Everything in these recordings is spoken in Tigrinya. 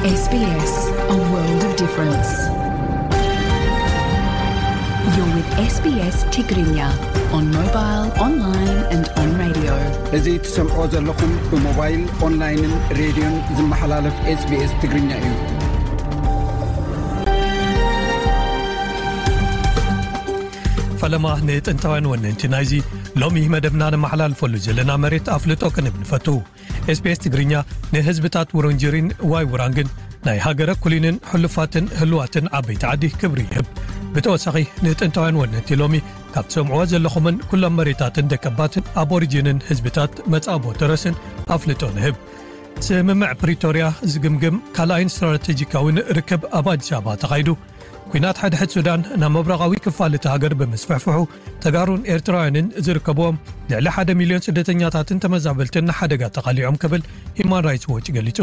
S B S, a world of difference. You're with S B S Tigrinya on mobile, online and on radio. እዚ ትሰምዖ ዘለኹም ብሞባይል፣ ኦንላይንን ሬድዮን ዝመሓላለፍ S B S ትግርኛ እዩ። ፈለማ ንጥንታውያን ወነንቲ ናይዚ ሎሚ መደብና ነመሓላልፈሉ ዘለና መሬት ኣፍልጦ ክንብ ንፈቱ። S B S ትግርኛ ንህዝብታት ውሩንጅሪን ዋይ ውራንግን ናይ ሃገረ ኩሊንን ሕሉፋትን ህልዋትን ዓበይቲ ዓዲ ክብሪ ይህብ። ብተወሳኺ ንጥንታውያን ወነንቲ ሎሚ ካብ ትሰምዕዎ ዘለኹምን ኩሎም መሬታትን ደቀባትን ኣቦሪጂንን ህዝብታት መጻቦ ተረስን ኣፍልጦ ንህብ። ስምምዕ ፕሪቶርያ ዝግምግም ካልኣይን ስትራቴጂካዊን ርክብ ኣብ ኣዲስ ኣበባ ተኻይዱ። ኲናት ሓድሕድ ሱዳን ናብ ምብራቓዊ ክፋል እቲ ሃገር ብምስፍሕፍሑ፣ ተጋሩን ኤርትራውያንን ዝርከብዎም ልዕሊ ሓደ ሚልዮን ስደተኛታትን ተመዛበልትን ንሓደጋ ተቓሊዖም ክብል ሂማን ራይትስ ዎች ገሊጹ።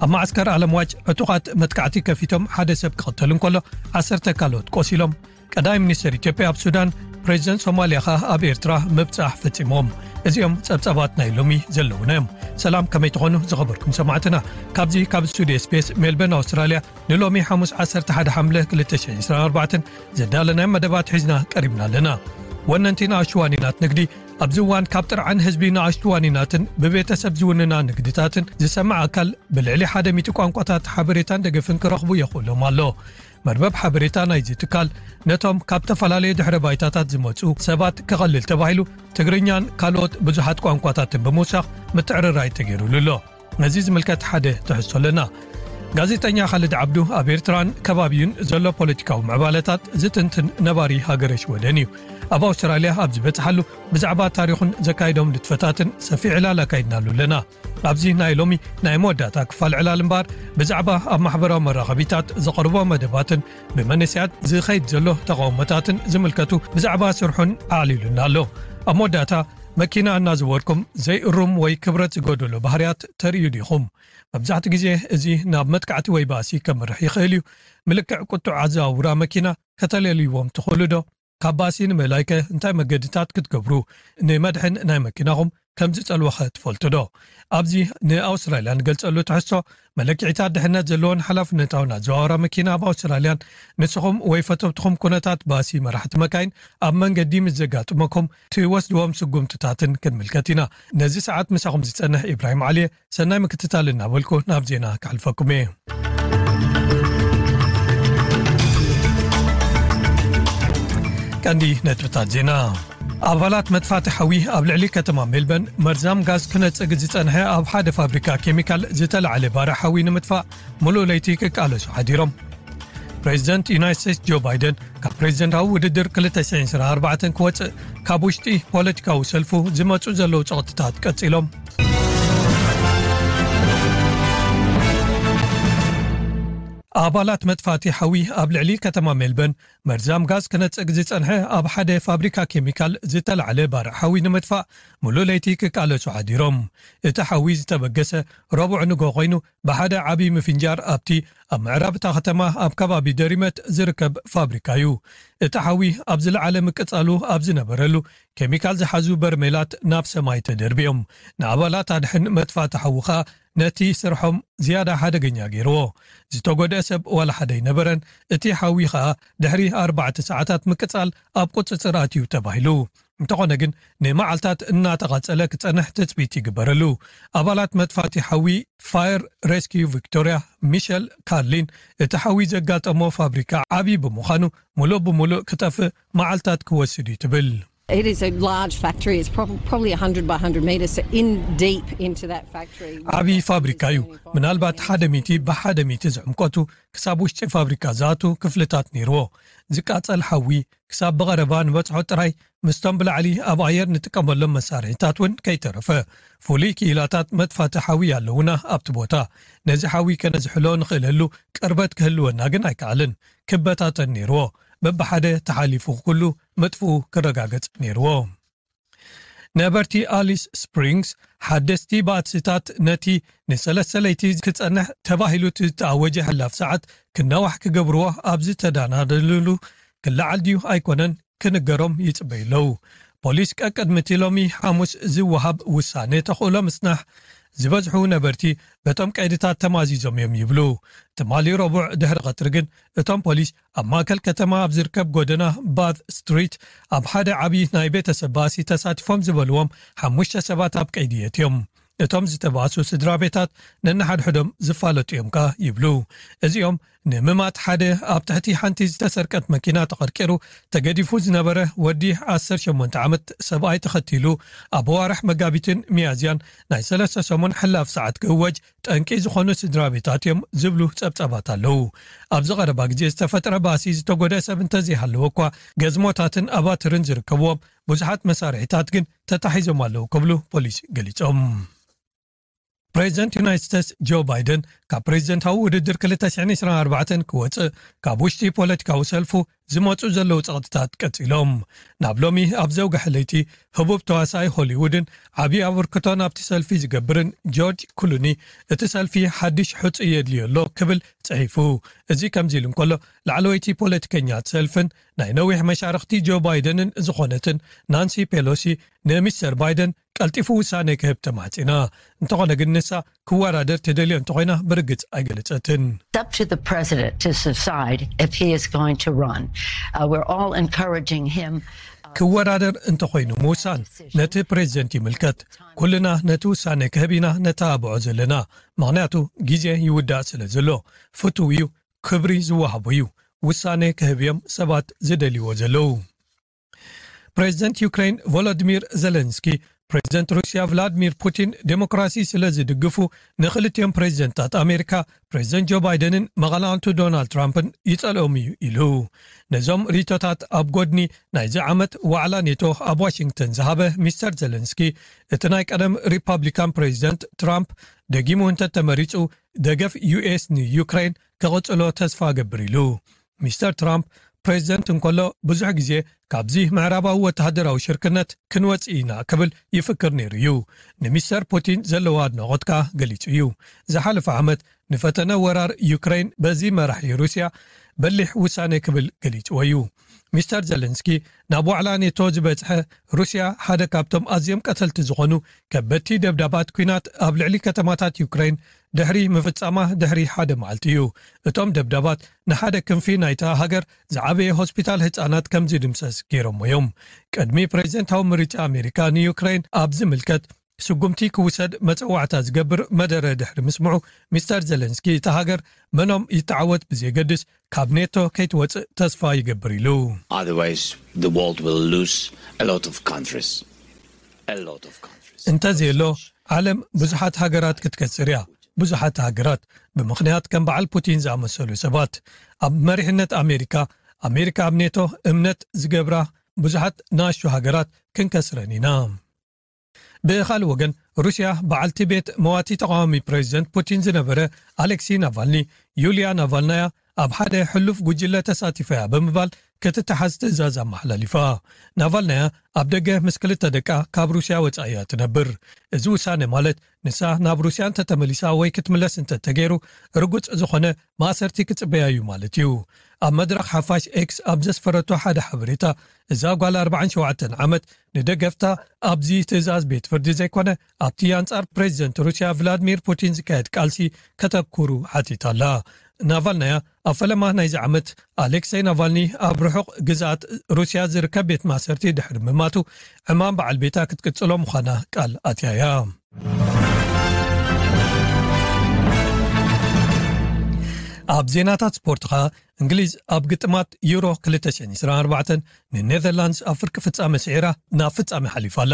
ኣብ መዓስከር ኣለምዋጭ ዕጡቓት መጥቃዕቲ ከፊቶም ሓደ ሰብ ክቕተል እንከሎ፣ ዓሰርተ ካልኦት ቆሲሎም። ቀዳማይ ሚኒስትር ኢትዮጵያ ኣብ ሱዳን፣ ፕሬዚደንት ሶማልያ ኸኣ ኣብ ኤርትራ ምብጻሕ ፈጺሞም። እዚኦም ጸብጻባት ናይ ሎሚ ዘለዉና እዮም። ሰላም፣ ከመይ ትኾኑ ዝኸበርኩም ሰማዕትና? ካብዚ ካብ ስቱዲዮ S B S ሜልበርን ኣውስትራልያ ንሎሚ ሓሙስ ዓሰርተ ሓደ ሓምለ ክልተ ሽሕን ዕስራን ኣርባዕተን ዘዳለናዮም መደባት ሒዝና ቀሪብና ኣለና። ወነንቲ ንኣሽቱ ዋኒናት ንግዲ። ኣብዚ እዋን ካብ ጥርዓን ህዝቢ ንኣሽቱ ዋኒናትን ብቤተሰብ ዝውንና ንግድታትን ዝሰምዕ ኣካል ብልዕሊ ሓደ ሚእቲ ቋንቋታት ሓበሬታን ደገፍን ክረኽቡ የኽእሎም ኣሎ። መርበብ ሓበሬታ ናይዚ ትካል ነቶም ካብ ዝተፈላለዩ ድሕረ ባይታታት ዝመጹ ሰባት ከቐልል ተባሂሉ ትግርኛን ካልኦት ብዙሓት ቋንቋታትን ብምውሳኽ ምትዕርራይ ተገይሩሉ ኣሎ። ነዚ ዝምልከት ሓደ ትሕዝቶ ኣለና። ጋዜጠኛ ካልድ ዓብዱ ኣብ ኤርትራን ከባቢኡን ዘሎ ፖለቲካዊ ምዕባለታት ዝትንትን ነባሪ ሃገረ ሽወደን እዩ። ኣብ ኣውስትራልያ ኣብ ዝበጽሓሉ ብዛዕባ ታሪኹን ዘካይዶም ንጥፈታትን ሰፊሕ ዕላል ኣካይድናሉ ኣለና። ኣብዚ ናይ ሎሚ ናይ መወዳእታ ክፋል ዕላል እምበኣር፣ ብዛዕባ ኣብ ማሕበራዊ መራኸቢታት ዘቕርቦ መደባትን ብመንእሰያት ዝኸይድ ዘሎ ተቓውሞታትን ዝምልከቱ ብዛዕባ ስርሑን ኣዕሊሉና ኣሎ። ኣብ መወዳእታ፣ መኪና እናዘወርኩም ዘይእሩም ወይ ክብረት ዝጎደሎ ባህርያት ተርእዩ ዲኹም? መብዛሕትኡ ግዜ እዚ ናብ መጥቃዕቲ ወይ ባእሲ ከምርሕ ይኽእል እዩ። ምልክዕ ቁጡዕ ኣዘዋውራ መኪና ከተለልይዎም ትኽእሉ ዶ? ካብ ባእሲ ንምእላይከ እንታይ መገድታት ክትገብሩ? ንመድሕን ናይ መኪናኹም ከም ዝጸልወኸ ትፈልጡ ዶ? ኣብዚ ንኣውስትራልያ ንገልጸሉ ትሕዝቶ፣ መለክዒታት ድሕነት ዘለዎን ሓላፍነታውን ኣዘዋውራ መኪና ኣብ ኣውስትራልያን ንስኹም ወይ ፈተውትኹም ኩነታት ባእሲ መራሕቲ መካይን ኣብ መንገዲ ምስ ዘጋጥመኩም ትወስድዎም ስጉምትታትን ክንምልከት ኢና። ነዚ ሰዓት ምሳኹም ዝጸንሕ ኢብራሂም ዓሊየ፣ ሰናይ ምክትታል እናበልኩ ናብ ዜና ከሕልፈኩም እየ። ቀንዲ ነጥብታት ዜና። ኣባላት መጥፋእቲ ሓዊ ኣብ ልዕሊ ከተማ ሜልበርን መርዛም ጋዝ ክነጽግ ዝጸንሐ ኣብ ሓደ ፋብሪካ ኬሚካል ዝተላዕለ ባርዕ ሓዊ ንምጥፋእ ምሉእ ለይቲ ክቃለሱ ሓዲሮም። ፕሬዚደንት ዩናይትድ ስቴትስ ጆ ባይደን ካብ ፕሬዚደንታዊ ውድድር ክልተ ሽሕን ዕስራን ኣርባዕተን ክወጽእ ካብ ውሽጢ ፖለቲካዊ ሰልፉ ዝመጹ ዘለዉ ጸቕጥታት ቀጺሎም። ኣባላት መጥፋእቲ ሓዊ ኣብ ልዕሊ ከተማ ሜልበርን መርዛም ጋዝ ክነጽግ ዝጸንሐ ኣብ ሓደ ፋብሪካ ኬሚካል ዝተላዕለ ባርዕ ሓዊ ንምጥፋእ ምሉእ ለይቲ ክቃለሱ ሓዲሮም። እቲ ሓዊ ዝተበገሰ ረቡዕ ንግሆ ኮይኑ፣ ብሓደ ዓቢ ምፍንጃር ኣብቲ ኣብ ምዕራብ እታ ከተማ ኣብ ከባቢ ደሪመት ዝርከብ ፋብሪካ እዩ። እቲ ሓዊ ኣብ ዝለዓለ ምቅጻሉ ኣብ ዝነበረሉ፣ ኬሚካል ዝሓዙ በርሜላት ናብ ሰማይ ተደርቢዮም። ንኣባላት ኣድሕን መጥፋእቲ ሓዊ ኸኣ ነቲ ስርሖም ዝያዳ ሓደገኛ ገይርዎ። ዝተጎድአ ሰብ ዋላ ሓደ ኣይነበረን። እቲ ሓዊ ኸኣ ድሕሪ ኣርባዕተ ሰዓታት ምቅጻል ኣብ ቁጽጽር ኣትዩ ተባሂሉ። እንተኾነ ግን፣ ንመዓልታት እናተቓጸለ ክጸንሕ ትጽቢት ይግበረሉ። ኣባላት መጥፋእቲ ሓዊ ፋየር ሬስኪዩ ቪክቶሪያ ሚሸል ካርሊን፣ እቲ ሓዊ ዘጋጠሞ ፋብሪካ ዓቢ ብምዃኑ፣ ምሉእ ብምሉእ ክጠፍእ መዓልታት ክወስድ እዩ ትብል። It is a large factory. It's prob-, probably one hundred by one hundred meters in deep into that factory. ዓቢ ፋብሪካ እዩ። ምናልባት ሓደ ሚእቲ ብሓደ ሚእቲ ዝዕምቆቱ ክሳብ ውሽጢ ፋብሪካ ዝኣቱ ክፍልታት ነይርዎ። ዝቃጸል ሓዊ ክሳብ ብቐረባ ንበጽሖ ጥራይ፣ ምስቶም ብላዕሊ ኣብ ኣየር ንጥቀመሎም መሳርሒታት እውን ከይተረፈ። ፍሉይ ክኢላታት መጥፋእቲ ሓዊ ኣለዉና ኣብቲ ቦታ። ነዚ ሓዊ ከነዝሕሎ ንኽእለሉ ቅርበት ክህልወና ግን ኣይከኣልን። ክበታተን ነይርዎ። በብሓደ ተሓሊፉ ኩሉ ምጥፍኡ ክረጋገጽ ነይርዎ። ነበርቲ ኣሊስ ስፕሪንግስ ሓደስቲ ባእስታት ነቲ ንሰለስተ ለይቲ ክጸንሕ ተባሂሉ ዝተኣወጀ ሕላፍ ሰዓት ክናዋሕ ክገብርዎ ኣብ ዝተዳናደልሉ ክለዓል ድዩ ኣይኮነን ክንገሮም ይጽበዩ ኣለዉ። ፖሊስ ቀቅድሚ እቲ ሎሚ ሓሙስ ዝወሃብ ውሳነ ተኽእሎ ምጽናሕ ዝበዝሑ ነበርቲ በቶም ቀይድታት ተማዚዞም እዮም ይብሉ። ትማሊ ረቡዕ ድሕሪ ቀትሪ ግን እቶም ፖሊስ ኣብ ማእከል ከተማ ኣብ ዝርከብ ጎደና ባዝ ስትሪት ኣብ ሓደ ዓቢ ናይ ቤተሰብ ባእሲ ተሳቲፎም ዝበልዎም ሓሙሽተ ሰባት ኣብ ቀይዲ የትዮም። እቶም ዝተባእሱ ስድራ ቤታት ነንሓድሕዶም ዝፋለጡ እዮም ከኣ ይብሉ። እዚኦም ንምማት ሓደ ኣብ ትሕቲ ሓንቲ ዝተሰርቀት መኪና ተቐርቂሩ ተገዲፉ ዝነበረ ወዲ ዓሰርተ ሸሞንተ ዓመት ሰብኣይ ተኸቲሉ ኣብ ኣዋርሕ መጋቢትን ሚያዝያን ናይ ሰለስተ ሰሙን ሕላፍ ሰዓት ክእወጅ ጠንቂ ዝኾኑ ስድራ ቤታት እዮም ዝብሉ ጸብጻባት ኣለዉ። ኣብዚ ቀረባ ግዜ ዝተፈጥረ ባእሲ ዝተጎድአ ሰብ እንተዘይሃለወ እኳ ገዝሞታትን ኣባትርን ዝርከብዎም ብዙሓት መሳርሒታት ግን ተታሒዞም ኣለዉ ክብሉ ፖሊስ ገሊጾም። ፕሬዚደንት ዩናይትድ ስቴትስ ጆ ባይደን ካብ ፕሬዚደንታዊ ውድድር ክልተ ሽሕን ዕስራን ኣርባዕተን ክወጽእ ካብ ውሽጢ ፖለቲካዊ ሰልፉ ዝመጹ ዘለዉ ጸቕጥታት ቀጺሎም። ናብ ሎሚ ኣብ ዘውግሐ ለይቲ ህቡብ ተዋሳኢ ሆሊውድን ዓቢ ኣበርክቶ ናብቲ ሰልፊ ዝገብርን ጆርጅ ክሉኒ እቲ ሰልፊ ሓድሽ ሕጹይ የድልዮ ኣሎ ክብል ጽሒፉ። እዚ ከምዚ ኢሉ እንከሎ ላዕለወይቲ ፖለቲከኛ ሰልፍን ናይ ነዊሕ መሻርኽቲ ጆ ባይደንን ዝኾነትን ናንሲ ፔሎሲ ንሚስተር ባይደን ቀልጢፉ ውሳነ ክህብ ተማሕጺና። እንተኾነ ግን ንሳ ክወዳደር ትደልዮ እንተኾይና ብርግጽ ኣይገለጸትን። It's up to the president to decide if he is going to run. Uh, we're all encouraging him. ክወዳደር እንተኾይኑ ምውሳን ነቲ ፕሬዚደንት ይምልከት። ኩልና ነቲ ውሳነ ክህብ ኢና ነተባብዖ ዘለና፣ ምኽንያቱ ግዜ ይውዳእ ስለ ዘሎ። ፍቱው እዩ፣ ክብሪ ዝወሃቦ እዩ። ውሳነ ክህብ እዮም ሰባት ዝደልይዎ ዘለዉ። ፕሬዚደንት ዩክሬን ቮሎዲሚር ዘለንስኪ ፕሬዚደንት ሩስያ ቭላድሚር ፑቲን ዴሞክራሲ ስለ ዝድግፉ ንክልቲኦም ፕሬዚደንታት ኣሜሪካ ፕሬዚደንት ጆ ባይደንን መቐናቕንቱ ዶናልድ ትራምፕን ይጸልኦም እዩ ኢሉ። ነዞም ርእይቶታት ኣብ ጎድኒ ናይዚ ዓመት ዋዕላ ኔቶ ኣብ ዋሽንግተን ዝሃበ ሚስተር ዘለንስኪ እቲ ናይ ቀደም ሪፓብሊካን ፕሬዚደንት ትራምፕ ደጊሙ እንተተመሪጹ ደገፍ ዩኤስ ንዩክሬን ክቕጽሎ ተስፋ እገብር ኢሉ። ሚስተር ትራምፕ ፕሬዚደንት እንከሎ ብዙሕ ግዜ ካብዚ ምዕራባዊ ወተሃደራዊ ሽርክነት ክንወጽእ ኢና ክብል ይፍክር ነይሩ እዩ። ንሚስተር ፑቲን ዘለዎ ኣድናቖት ከኣ ገሊጹ እዩ። ዝሓለፈ ዓመት ንፈተነ ወራር ዩክሬን በዚ መራሒ ሩስያ በሊሕ ውሳነ ክብል ገሊጽዎ እዩ። ሚስተር ዘለንስኪ ናብ ዋዕላ ኔቶ ዝበጽሐ ሩስያ ሓደ ካብቶም ኣዝዮም ቀተልቲ ዝኾኑ ከበድቲ ደብዳባት ኲናት ኣብ ልዕሊ ከተማታት ዩክሬን ድሕሪ ምፍጻማ ድሕሪ ሓደ መዓልቲ እዩ። እቶም ደብዳባት ንሓደ ክንፊ ናይታ ሃገር ዝዓበየ ሆስፒታል ህጻናት ከም ዝድምሰስ ገይሮሞ እዮም። ቅድሚ ፕሬዚደንታዊ ምርጫ ኣሜሪካ ንዩክሬን ኣብ ዝምልከት ስጉምቲ ክውሰድ መጸዋዕታ ዝገብር መደረ ድሕሪ ምስምዑ ሚስተር ዘለንስኪ እታ ሃገር መኖም ይተዓወት ብዘየገድስ ካብ ኔቶ ከይትወጽእ ተስፋ ይገብር ኢሉ። Otherwise, the world will lose a lot of countries. A lot of countries. እንተዘየሎ ዓለም ብዙሓት ሃገራት ክትከስር እያ። ብዙሓት ሃገራት ብምኽንያት ከም በዓል ፑቲን ዝኣመሰሉ ሰባት ኣብ መሪሕነት ኣሜሪካ ኣሜሪካ ኣብ ኔቶ እምነት ዝገብራ ብዙሓት ንኣሽቱ ሃገራት ክንከስረን ኢና። ብኻልእ ወገን ሩስያ በዓልቲ ቤት መዋቲ ተቃዋሚ ፕሬዚደንት ፑቲን ዝነበረ ኣሌክሲ ናቫልኒ ዩልያ ናቫልናያ ኣብ ሓደ ሕሉፍ ጉጅለ ተሳቲፈያ ብምባል ክትተሓዝ ትእዛዝ ኣመሓላሊፋ። ናቫልናያ ኣብ ደገ ምስ ክልተ ደቃ ካብ ሩስያ ወጻኢ እያ ትነብር። እዚ ውሳነ ማለት ንሳ ናብ ሩስያ እንተተመሊሳ ወይ ክትምለስ እንተተገይሩ ርጉጽ ዝኾነ ማእሰርቲ ክጽበያ እዩ ማለት እዩ። ኣብ መድረኽ ሓፋሽ ኤክስ ኣብ ዘስፈረቶ ሓደ ሓበሬታ እዛ ጓል ኣርባዓን ሸውዓተን ዓመት ንደገፍታ ኣብዚ ትእዛዝ ቤት ፍርዲ ዘይኮነ ኣብቲ ኣንጻር ፕሬዚደንት ሩስያ ቭላድሚር ፑቲን ዝካየድ ቃልሲ ከተኩሩ ሓቲታ ኣላ። ናቫልናያ ኣብ ፈለማ ናይዚ ዓመት ኣሌክሰይ ናቫልኒ ኣብ ርሑቕ ግዝኣት ሩስያ ዝርከብ ቤት ማእሰርቲ ድሕሪ ምማቱ ዕማም በዓል ቤታ ክትቅጽሎ ምዃና ቃል ኣትያ እያ። ኣብ ዜናታት ስፖርት ኸኣ እንግሊዝ ኣብ ግጥማት ዩሮ ክልተ ሽሕን ዕስራን ኣርባዕተን ንኔዘርላንድስ ኣብ ፍርቂ ፍጻመ ስዒራ ናብ ፍጻመ ሓሊፋ ኣላ።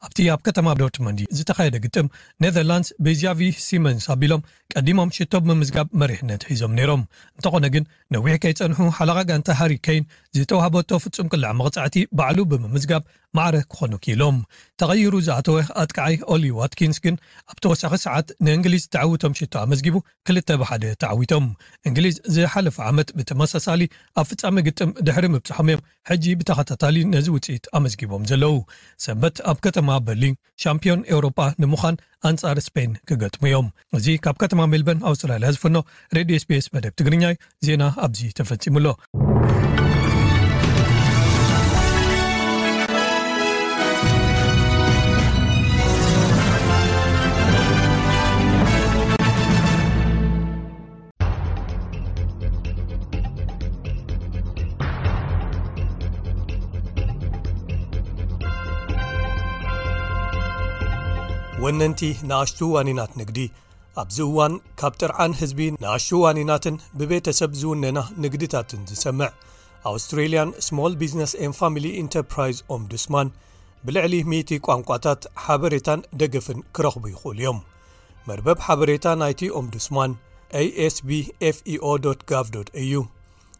ኣብቲ ኣብ ከተማ ዶርትመንድ ዝተኻየደ ግጥም ኔዘርላንድስ ብጃቪ ሲመንስ ኣቢሎም ቀዲሞም ሽቶ ብምምዝጋብ መሪሕነት ሒዞም ነይሮም። እንተኾነ ግን ነዊሕ ከይጸንሑ ሓለቓ ጋንታ ሃሪ ኬን ዝተዋህበቶ ፍጹም ቅላዕ መቕጻዕቲ ባዕሉ ብምምዝጋብ ማዕረ ክኾኑ ክኢሎም። ተቐይሩ ዝኣተወ ኣጥቃዓይ ኦሊ ዋትኪንስ ግን ኣብ ተወሳኺ ሰዓት ንእንግሊዝ ተዓውቶም ሽቶ ኣመዝጊቡ ክልተ ብሓደ ተዓዊቶም። እንግሊዝ ዝሓለፈ ዓመት ብተመሳሳሊ ኣብ ፍጻመ ግጥም ድሕሪ ምብጽሖም እዮም ሕጂ ብተኸታታሊ ነዚ ውጽኢት ኣመዝጊቦም ዘለዉ። ሰንበት ኣብ ከተማ በርሊን ሻምፒዮን ኤውሮጳ ንምዃን ኣንጻር ስፔን ክገጥሙ እዮም። እዚ ካብ ከተማ ሜልበርን ኣውስትራልያ ዝፍኖ ሬድዮ ኤስቢኤስ መደብ ትግርኛ እዩ። ዜና ኣብዚ ተፈጺሙ ኣሎ። ነንቲ ንኣሽቱ ዋኒናት ንግዲ፣ ኣብዚ እዋን ካብ ጥርዓን ህዝቢ ንኣሽቱ ዋኒናትን ብቤተሰብ ዝውነና ንግድታትን ዝሰምዕ ኣውስትሬልያን ስሞል ቢዝነስ ኤን ፋሚሊ ኢንተርፕራይዝ ኦምቡድስማን ብልዕሊ ሚእቲ ቋንቋታት ሓበሬታን ደገፍን ክረኽቡ ይኽእሉ እዮም። መርበብ ሓበሬታ ናይቲ ኦምቡድስማን ኤስቢኤፍኢኦ ዶት ጋቭ ዶት ኤዩ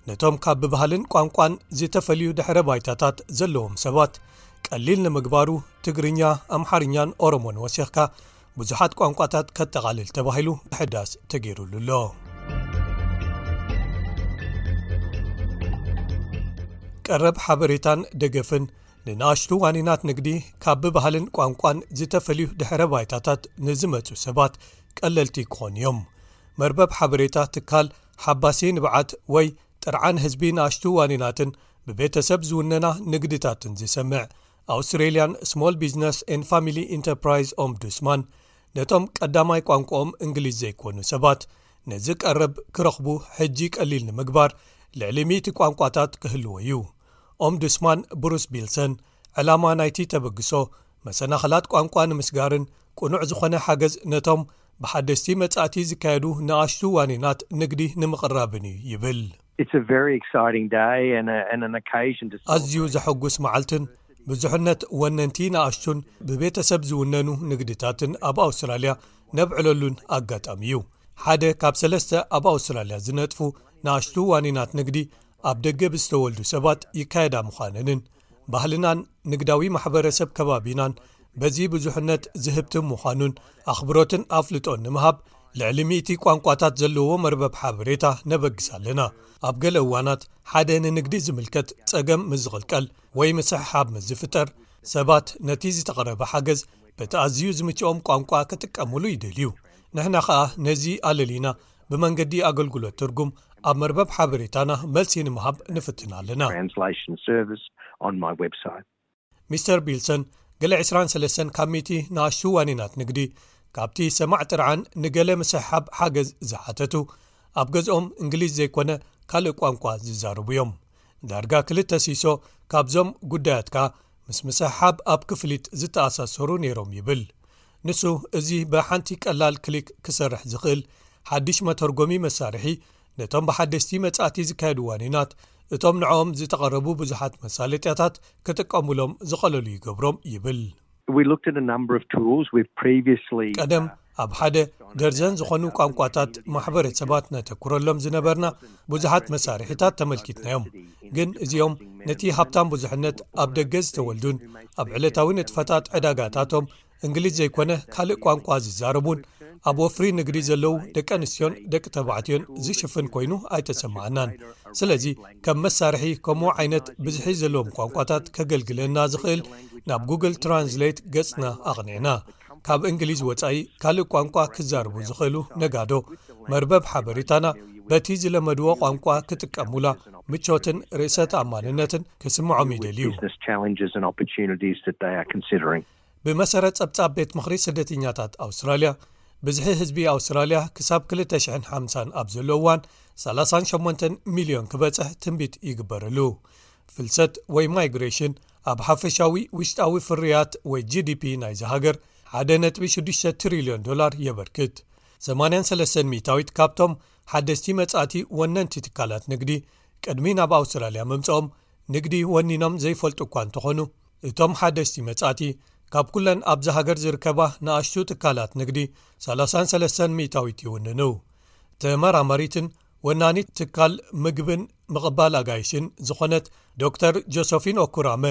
ነቶም ካብ ብባህልን ቋንቋን ዝተፈልዩ ድሕረ ባይታታት ዘለዎም ሰባት ቀሊል ንምግባሩ፣ ትግርኛ፣ ኣምሓርኛን ኦሮሞን ወሲኽካ ብዙሓት ቋንቋታት ከጠቓልል ተባሂሉ ምሕዳስ ተገይሩሉ ኣሎ። ቀረብ ሓበሬታን ደገፍን ንንኣሽቱ ዋኒናት ንግዲ ካብ ብባህልን ቋንቋን ዝተፈልዩ ድሕረ ባይታታት ንዝመጹ ሰባት ቀለልቲ ክኾኑ እዮም። መርበብ ሓበሬታ ትካል ሓባሲ ንብዓት ወይ ጥርዓን ህዝቢ ንኣሽቱ ዋኒናትን ብቤተሰብ ዝውነና ንግድታትን ዝሰምዕ ኣውስትሬልያን ስሞል ቢዝነስ ኤን ፋሚሊ ኢንተርፕራይዝ ኦምቡድስማን ነቶም ቀዳማይ ቋንቋኦም እንግሊዝ ዘይኮኑ ሰባት ነዚ ቀረብ ክረኽቡ ሕጂ ቀሊል ንምግባር ልዕሊ ሚእቲ ቋንቋታት ክህልዎ እዩ። ኦምቡድስማን ብሩስ ቢልሰን ዕላማ ናይቲ ተበግሶ መሰናኽላት ቋንቋ ንምስጋርን ቅኑዕ ዝኾነ ሓገዝ ነቶም ብሓደስቲ መጻእቲ ዝካየዱ ንኣሽቱ ዋኒናት ንግዲ ንምቕራብን እዩ ይብል። It's a very exciting day and, a, and an occasion to ኣዝዩ ዘሐጉስ መዓልትን ብዙሕነት ወነንቲ ንኣሽቱን ብቤተሰብ ዝውነኑ ንግድታትን ኣብ ኣውስትራልያ ነብዕለሉን ኣጋጣሚ እዩ። ሓደ ካብ ሰለስተ ኣብ ኣውስትራልያ ዝነጥፉ ንኣሽቱ ዋኒናት ንግዲ ኣብ ደገ ብዝተወልዱ ሰባት ይካየዳ ምዃነንን ባህልናን ንግዳዊ ማሕበረሰብ ከባቢናን በዚ ብዙሕነት ዝህብትም ምዃኑን ኣኽብሮትን ኣፍልጦን ንምሃብ ልዕሊ ሚእቲ ቋንቋታት ዘለዎ መርበብ ሓበሬታ ነበግስ ኣለና። ኣብ ገለ እዋናት ሓደ ንንግዲ ዝምልከት ጸገም ምስ ዝቕልቀል ወይ ምስሕሓብ ምስ ዝፍጠር ሰባት ነቲ ዝተቐረበ ሓገዝ በቲ ኣዝዩ ዝምችኦም ቋንቋ ክጥቀምሉ ይደልዩ። ንሕና ኸኣ ነዚ ኣለሊና ብመንገዲ ኣገልግሎት ትርጉም ኣብ መርበብ ሓበሬታና መልሲ ንምሃብ ንፍትን ኣለና። Translation service on my website. ሚስተር ቢልሰን ገለ ዕስራን ሰለስተን ካብ ሚእቲ ንኣሽቱ ዋኒናት ንግዲ ካብቲ ሰማዕ ጥርዓን ንገለ ምስሕሓብ ሓገዝ ዝሓተቱ ኣብ ገዝኦም እንግሊዝ ዘይኮነ ካልእ ቋንቋ ዝዛረቡ እዮም። ዳርጋ ክልተ ሲሶ ካብዞም ጉዳያት ከኣ ምስ ምስሕሓብ ኣብ ክፍሊት ዝተኣሳሰሩ ነይሮም ይብል። ንሱ እዚ ብሓንቲ ቀላል ክሊክ ክሰርሕ ዝኽእል ሓድሽ መተርጎሚ መሳርሒ ነቶም ብሓደስቲ መጻእቲ ዝካየዱ ዋኒናት እቶም ንዕኦም ዝተቐረቡ ብዙሓት መሳለጥያታት ክጥቀሙሎም ዝቐለሉ ይገብሮም ይብል። We looked at a number of tools we've previously ቀደም ኣብ ሓደ ደርዘን ዝኾኑ ቋንቋታት ማሕበረሰባት ነተኩረሎም ዝነበርና ብዙሓት መሳርሒታት ተመልኪትናዮም። ግን እዚኦም ነቲ ሃብታም ብዙሕነት ኣብ ደገ ዝተወልዱን ኣብ ዕለታዊ ንጥፈታት ዕዳጋታቶም እንግሊዝ ዘይኮነ ካልእ ቋንቋ ዝዛረቡን ኣብ ወፍሪ ንግዲ ዘለዉ ደቂ ኣንስትዮን ደቂ ተባዕትዮን ዝሽፍን ኮይኑ ኣይተሰማዕናን። ስለዚ ከም መሳርሒ ከምኡ ዓይነት ብዝሒ ዘለዎም ቋንቋታት ከገልግለና ዝኽእል ናብ ጉግል ትራንስሌት ገጽና ኣቕኒዕና። ካብ እንግሊዝ ወጻኢ ካልእ ቋንቋ ክዛረቡ ዝኽእሉ ነጋዶ መርበብ ሓበሬታና በቲ ዝለመድዎ ቋንቋ ክጥቀሙላ ምቾትን ርእሰ ተኣማንነትን ክስምዖም ይደልዩ። Business challenges and opportunities that they are considering. ብመሰረት ጸብጻብ ቤት ምኽሪ ስደተኛታት ኣውስትራልያ፣ ብዝሒ ህዝቢ ኣውስትራልያ ክሳብ ክልተ ሽሕን ሓምሳን ኣብ ዘሎ እዋን ሰላሳን ሸሞንተን ሚልዮን ክበጽሕ ትንቢት ይግበረሉ። ፍልሰት ወይ ማይግሬሽን ኣብ ሓፈሻዊ ውሽጣዊ ፍርያት ወይ ጂ ዲ ፒ ናይዚ ሃገር ሓደ ነጥቢ ሽዱሽተ ትሪልዮን ዶላር የበርክት። ሰማንያን ሰለስተን ሚእታዊት ካብቶም ሓደስቲ መጻእቲ ወነንቲ ትካላት ንግዲ ቅድሚ ናብ ኣውስትራልያ ምምጽኦም ንግዲ ወኒኖም ዘይፈልጡ እኳ እንተኾኑ፣ እቶም ሓደስቲ መጻእቲ ካብ ኩለን ኣብዚ ሃገር ዝርከባ ንኣሽቱ ትካላት ንግዲ ሰላሳን ሰለስተን ሚእታዊት ይውንኑ። ተመራማሪትን ወናኒት ትካል ምግብን ምቕባል ኣጋይሽን ዝኾነት ዶክተር ጆሶፊን ኦኩራመ፣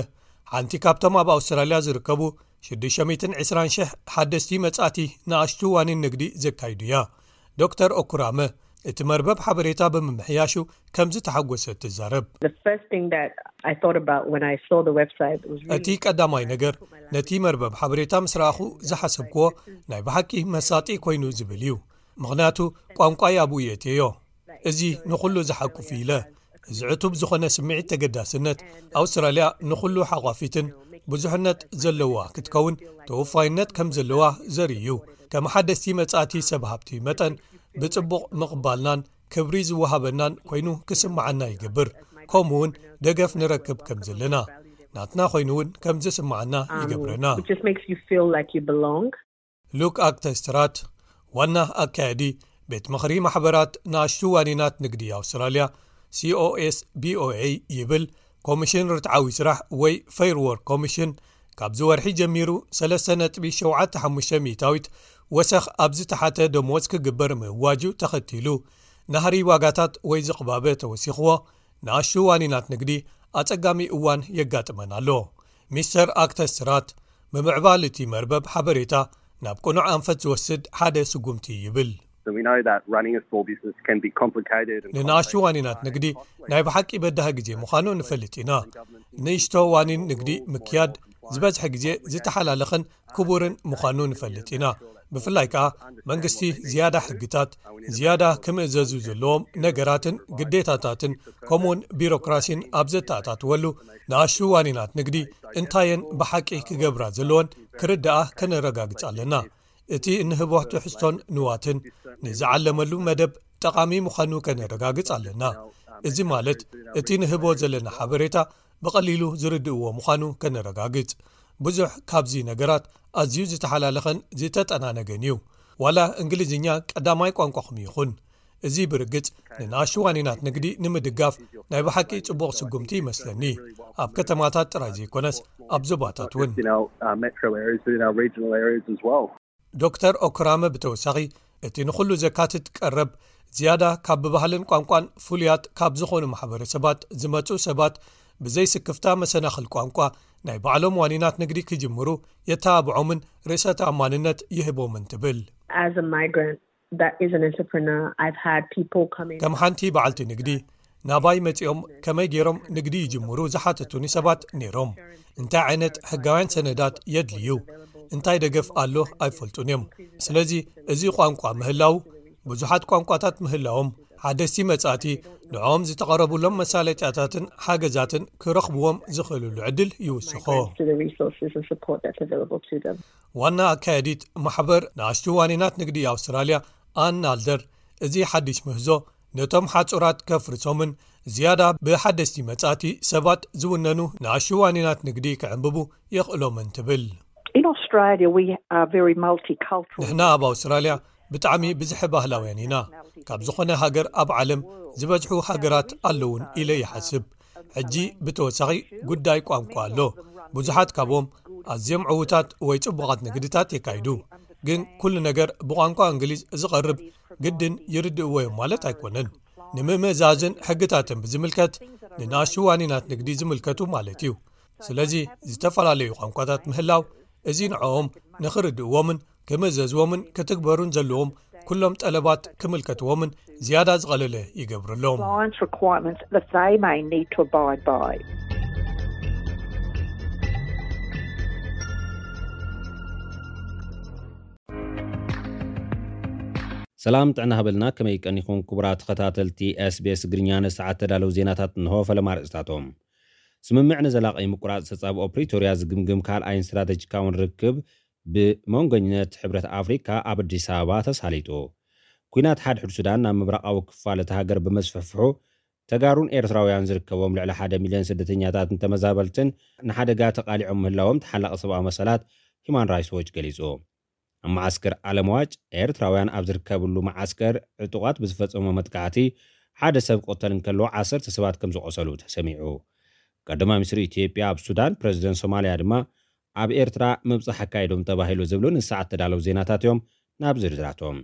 ሓንቲ ካብቶም ኣብ ኣውስትራልያ ዝርከቡ ሽዱሽተ ሚእትን ዕስራን ሽሕ ሓደስቲ መጻእቲ ንኣሽቱ ዋኒን ንግዲ ዘካይዱ እያ። ዶክተር ኦኩራመ፣ እቲ መርበብ ሓበሬታ ብምምሕያሹ ከምዚ ተሓጎሰ ትዛረብ። The first thing that I thought about when I saw the website was እቲ ቀዳማይ ነገር ነቲ መርበብ ሓበሬታ ምስ ረኣኹ ዝሓሰብክዎ ናይ ብሓቂ መሳጢ ኮይኑ ዝብል እዩ። ምኽንያቱ ቋንቋይ ኣብኡ የእትየዮ። እዚ ንኹሉ ዝሓቁፍ ኢለ እዚ ዕቱብ ዝኾነ ስምዒት ተገዳስነት ኣውስትራልያ ንኹሉ ሓቋፊትን ብዙሕነት ዘለዋ ክትከውን ተወፋይነት ከም ዘለዋ ዘርኢ እዩ። ከም ሓደስቲ መጻእቲ ሰብ ሃብቲ መጠን ብጽቡቕ ምቕባልናን ክብሪ ዝወሃበናን ኮይኑ ክስምዓና ይገብር። ከምኡ እውን ደገፍ ንረክብ ከም ዘለና ናትና ኮይኑ እውን ከም ዝስምዓና ይገብረና። Which just makes you feel like you belong. ሉክ ኣክተስትራት፣ ዋና ኣካያዲ ቤት ምኽሪ ማሕበራት ንኣሽቱ ዋኒናት ንግዲ ኣውስትራልያ፣ C O S B O A ይብል፣ ኮሚሽን ርትዓዊ ስራሕ ወይ ፌር ዎርክ ኮሚሽን ካብዚ ወርሒ ጀሚሩ ሰለስተ ነጥቢ ሸውዓተ ሓሙሽተ ሚእታዊት ወሰኽ ኣብ ዝተሓተ ደሞዝ ክግበር ምእዋጁ ተኸቲሉ፣ ናህሪ ዋጋታት ወይ ዝቕባበ ተወሲኽዎ፣ ንኣሽቱ ዋኒናት ንግዲ ኣጸጋሚ እዋን የጋጥመን ኣሎ። ሚስተር ኣክተስትራት፣ ምምዕባል እቲ መርበብ ሓበሬታ ናብ ቅኑዕ ኣንፈት ዝወስድ ሓደ ስጉምቲ ይብል። So we know that running a small business can be complicated and ንንኣሽቱ ዋኒናት ንግዲ ናይ ብሓቂ በዳሂ ግዜ ምዃኑ ንፈልጥ ኢና። ንእሽቶ ዋኒን ንግዲ ምክያድ ዝበዝሐ ግዜ ዝተሓላለኸን ክቡርን ምዃኑ ንፈልጥ ኢና። ብፍላይ ከኣ መንግስቲ ዝያዳ ሕግታት፣ ዝያዳ ክምእዘዙ ዘለዎም ነገራትን ግዴታታትን ከምኡውን ቢሮክራሲን ኣብ ዘተኣታትወሉ፣ ንኣሽቱ ዋኒናት ንግዲ እንታየን ብሓቂ ክገብራ ዘለወን ክርድኣ ከነረጋግጽ ኣለና። እቲ እንህቦ ትሕዝቶን ንዋትን ንዝዓለመሉ መደብ ጠቓሚ ምዃኑ ከነረጋግጽ ኣለና። እዚ ማለት እቲ ንህቦ ዘለና ሓበሬታ ብቐሊሉ ዝርድእዎ ምዃኑ ከነረጋግጽ። ብዙሕ ካብዚ ነገራት ኣዝዩ ዝተሓላለኸን ዝተጠናነገን እዩ። ዋላ እንግሊዝኛ ቀዳማይ ቋንቋኹም ይኹን፣ እዚ ብርግጽ ንንኣሽቱ ዋኒናት ንግዲ ንምድጋፍ ናይ ብሓቂ ጽቡቕ ስጉምቲ ይመስለኒ። ኣብ ከተማታት ጥራይ ዘይኮነስ ኣብ ዞባታት እውን። in our uh, metro areas, but in our regional areas as well. ዶክተር ኦክራመ ብተወሳኺ፣ እቲ ንኹሉ ዘካትት ቀረብ ዝያዳ ካብ ብባህልን ቋንቋን ፍሉያት ካብ ዝኾኑ ማሕበረሰባት ዝመጹ ሰባት ብዘይስክፍታ መሰናኽል ቋንቋ ናይ ባዕሎም ዋኒናት ንግዲ ክጅምሩ የተባብዖምን ርእሰ ተኣማንነት ይህቦምን ትብል። As a migrant that is an entrepreneur, I've had people come in. ከም ሓንቲ በዓልቲ ንግዲ ናባይ መጺኦም ከመይ ገይሮም ንግዲ ይጅምሩ ዝሓተቱኒ ሰባት ነይሮም። እንታይ ዓይነት ሕጋውያን ሰነዳት የድልዩ፣ እንታይ ደገፍ ኣሎ ኣይፈልጡን እዮም። ስለዚ እዚ ቋንቋ ምህላው፣ ብዙሓት ቋንቋታት ምህላዎም፣ ሓደስቲ መጻእቲ ንዕኦም ዝተቐረቡሎም መሳለጥያታትን ሓገዛትን ክረኽብዎም ዝኽእልሉ ዕድል ይውስኾ። To the resources and support that's available to them. ዋና ኣካያዲት ማሕበር ንኣሽቱ ዋኒናት ንግዲ ኣውስትራልያ ኣን ናልደር፣ እዚ ሓድሽ ምህዞ ነቶም ሓጹራት ከፍርሶምን ዝያዳ ብሓደስቲ መጻእቲ ሰባት ዝውነኑ ንኣሽቱ ዋኒናት ንግዲ ክዕንብቡ የኽእሎምን ትብል። In Australia, we are very multicultural. ንሕና ኣብ ኣውስትራልያ ብጣዕሚ ብዝሒ ባህላውያን ኢና። ካብ ዝኾነ ሃገር ኣብ ዓለም ዝበዝሑ ሃገራት ኣለውን ኢለ ይሓስብ። ሕጂ ብተወሳኺ ጉዳይ ቋንቋ ኣሎ። ብዙሓት ካብኦም ኣዝዮም ዕዉታት ወይ ጽቡቓት ንግድታት የካይዱ። ግን ኩሉ ነገር ብቋንቋ እንግሊዝ ዝቐርብ ግድን ይርድእዎ እዮም ማለት ኣይኮነን። ንምምእዛዝን ሕግታትን ብዝምልከት ንንኣሽቱ ዋኒናት ንግዲ ዝምልከቱ ማለት እዩ። ስለዚ ዝተፈላለዩ ቋንቋታት ምህላው እዚ ንዕኦም ንኽርድእዎምን ክምእዘዝዎምን ክትግበሩን ዘለዎም ኩሎም ጠለባት ክምልከትዎምን ዝያዳ ዝቐለለ ይገብረሎም። Compliance requirements that they may need to abide by. ሰላም ጥዕና ሃበልና፣ ከመይ ቀኒኹም ክቡራት ተኸታተልቲ SBS ትግርኛ? ንሰዓት ተዳለዉ ዜናታት እንሆ። ፈለማ ኣርእስታቶም። ስምምዕ ንዘላቒ ምቁራጽ ተጻብኦ ፕሪቶርያ ዝግምግም ካልኣይን ስትራተጂካውን ርክብ ብመንጎኝነት ሕብረት ኣፍሪካ ኣብ ኣዲስ ኣበባ ተሳሊጡ። ኲናት ሓድሕድ ሱዳን ናብ ምብራቓዊ ክፋል እታ ሃገር ብምስፍሕፍሑ፣ ተጋሩን ኤርትራውያን ዝርከቦም ልዕሊ ሓደ ሚልዮን ስደተኛታትን ተመዛበልትን ንሓደጋ ተቓሊዖም ምህላዎም ተሓላቒ ሰብኣዊ መሰላት ሂማን ራይትስ ዎች ገሊጹ። ኣብ መዓስከር ኣለምዋጭ ኤርትራውያን ኣብ ዝርከብሉ መዓስከር ዕጡቓት ብዝፈጸሞ መጥቃዕቲ ሓደ ሰብ ክቕተል እንከሎ ዓሰርተ ሰባት ከም ዝቖሰሉ ተሰሚዑ። ቀዳማይ ሚኒስትር ኢትዮጵያ ኣብ ሱዳን፣ ፕረዚደንት ሶማልያ ድማ ኣብ ኤርትራ ምብጻሕ ኣካይዶም ተባሂሉ ዝብሉ ንሰዓት ተዳለዉ ዜናታት እዮም። ናብ ዝርዝራቶም።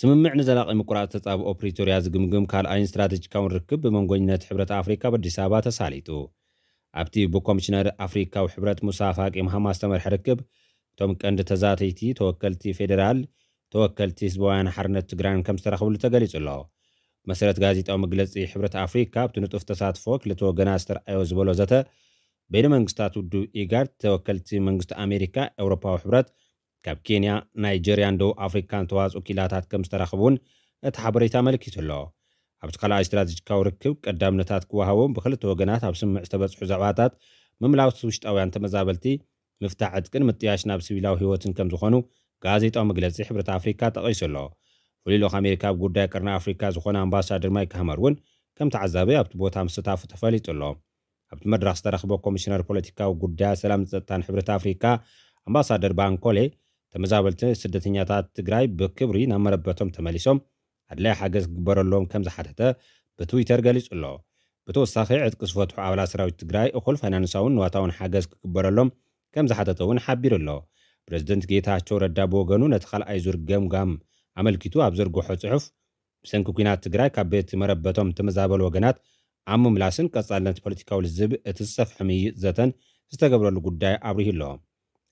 ስምምዕ ንዘላቒ ምቁራጽ ተጻብኦ ፕሪቶርያ ዝግምግም ካልኣይን ስትራተጂካውን ርክብ ብመንጎኝነት ሕብረት ኣፍሪካ ኣብ ኣዲስ ኣበባ ተሳሊጡ። ኣብቲ ብኮሚሽነር ኣፍሪካዊ ሕብረት ሙሳ ፋቂ መሃማ ዝተመርሐ ርክብ፣ እቶም ቀንዲ ተዛተይቲ ተወከልቲ ፌዴራል፣ ተወከልቲ ህዝባውያን ሓርነት ትግራይን ከም ዝተረኽብሉ ተገሊጹ ኣሎ። መሰረት ጋዜጣዊ መግለጺ ሕብረት ኣፍሪካ፣ ኣብቲ ንጡፍ ተሳትፎ ክልተ ወገናት ዝተረኣዮ ዝበሎ ዘተ፣ በይነ መንግስታት ውድብ ኢጋድ፣ ተወከልቲ መንግስቲ ኣሜሪካ፣ ኤውሮፓዊ ሕብረት፣ ካብ ኬንያ፣ ናይጀርያን ደቡብ ኣፍሪካን ተዋጽኦ ኪላታት ከም ዝተረኽቡ እውን እቲ ሓበሬታ ኣመልኪቱ ኣሎ። ኣብቲ ካልኣይ ስትራተጂካዊ ርክብ ቀዳምነታት ክወሃቦም ብክልተ ወገናት ኣብ ስምምዕ ዝተበጽሑ ዛዕባታት ምምላስ ውሽጣውያን ተመዛበልቲ፣ ምፍታሕ ዕጥቅን ምጥያሽ ናብ ሲቪላዊ ህይወትን ከም ዝኾኑ ጋዜጣዊ መግለጺ ሕብረት ኣፍሪካ ጠቒሱ ኣሎ። ፍሉይ ልኡኽ ኣሜሪካ ኣብ ጉዳይ ቀርኒ ኣፍሪካ ዝኾነ ኣምባሳደር ማይክ ሃመር እውን ከም ተዓዛቢ ኣብቲ ቦታ ምስታፉ ተፈሊጡ ኣሎ። ኣብቲ መድረኽ ዝተረኽበ ኮሚሽነር ፖለቲካዊ ጉዳያት ሰላምን ጸጥታን ሕብረት ኣፍሪካ ኣምባሳደር ባንኮሌ፣ ተመዛበልቲ ስደተኛታት ትግራይ ብክብሪ ናብ መረበቶም ተመሊሶም ኣድላይ ሓገዝ ክግበረሎም ከም ዝሓተተ ብትዊተር ገሊጹ ኣሎ። ብተወሳኺ፣ ዕጥቂ ዝፈትሑ ኣባላት ሰራዊት ትግራይ እኹል ፋይናንሳውን ንዋታውን ሓገዝ ክግበረሎም ከም ዝሓተተ እውን ሓቢሩ ኣሎ። ፕሬዝደንት ጌታቸው ረዳ ብወገኑ፣ ነቲ ካልኣይ ዙር ገምጋም ኣመልኪቱ ኣብ ዘርግሖ ጽሑፍ፣ ብሰንኪ ኲናት ትግራይ ካብ ቤት መረበቶም ተመዛበሉ ወገናት ኣብ ምምላስን ቀጻልነት ፖለቲካዊ ልዝብ እቲ ዝሰፍሐ ምይይጥ ዘተን ዝተገብረሉ ጉዳይ ኣብሪሁ ኣሎ።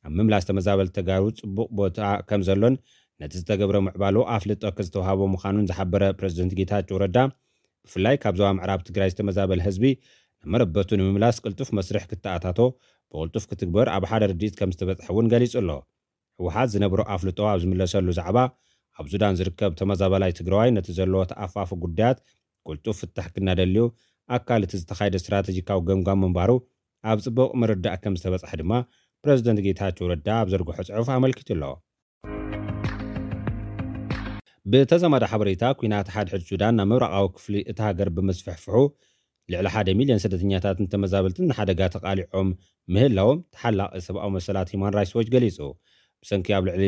ኣብ ምምላስ ተመዛበልቲ ተጋሩ ጽቡቕ ቦታ ከም ዘሎን ነቲ ዝተገብረ ምዕባሎ ኣፍልጦ ዝተዋሃቦ ምዃኑን ዝሓበረ ፕሬዝደንት ጌታቸው ረዳ፣ ብፍላይ ካብ ዞባ ምዕራብ ትግራይ ዝተመዛበለ ህዝቢ ናብ መረበቱ ንምምላስ ቅልጡፍ መስርሕ ክተኣታቶ ብቕልጡፍ ክትግበር ኣብ ሓደ ርድኢት ከም ዝተበጽሐ እውን ገሊጹ ኣሎ። ህወሓት ዝነብሮ ኣፍልጦ ኣብ ዝምለሰሉ ዛዕባ፣ ኣብ ሱዳን ዝርከብ ተመዛበላይ ትግራዋይ ነቲ ዘለዎ ተኣፋፊ ጉዳያት ቅልጡፍ ፍታሕ ክናደልዩ ኣካል እቲ ዝተኻየደ ስትራተጂካዊ ገምጋም ምንባሩ ኣብ ጽቡቕ ምርዳእ ከም ዝተበጽሐ ድማ ፕሬዝደንት ጌታቸው ረዳ ኣብ ዘርግሖ ጽሑፍ ኣመልኪቱ ኣሎ። ብተዛማዲ ሓበሬታ፣ ኲናት ሓድሕድ ሱዳን ናብ ምብራቓዊ ክፍሊ እታ ሃገር ብምስፍሕፍሑ፣ ልዕሊ ሓደ ሚልዮን ስደተኛታትን ተመዛበልትን ንሓደጋ ተቓሊዖም ምህላዎም ተሓላቒ ሰብኣዊ መሰላት ሂማን ራይትስ ዎች ገሊጹ። ብሰንኪ ኣብ ልዕሊ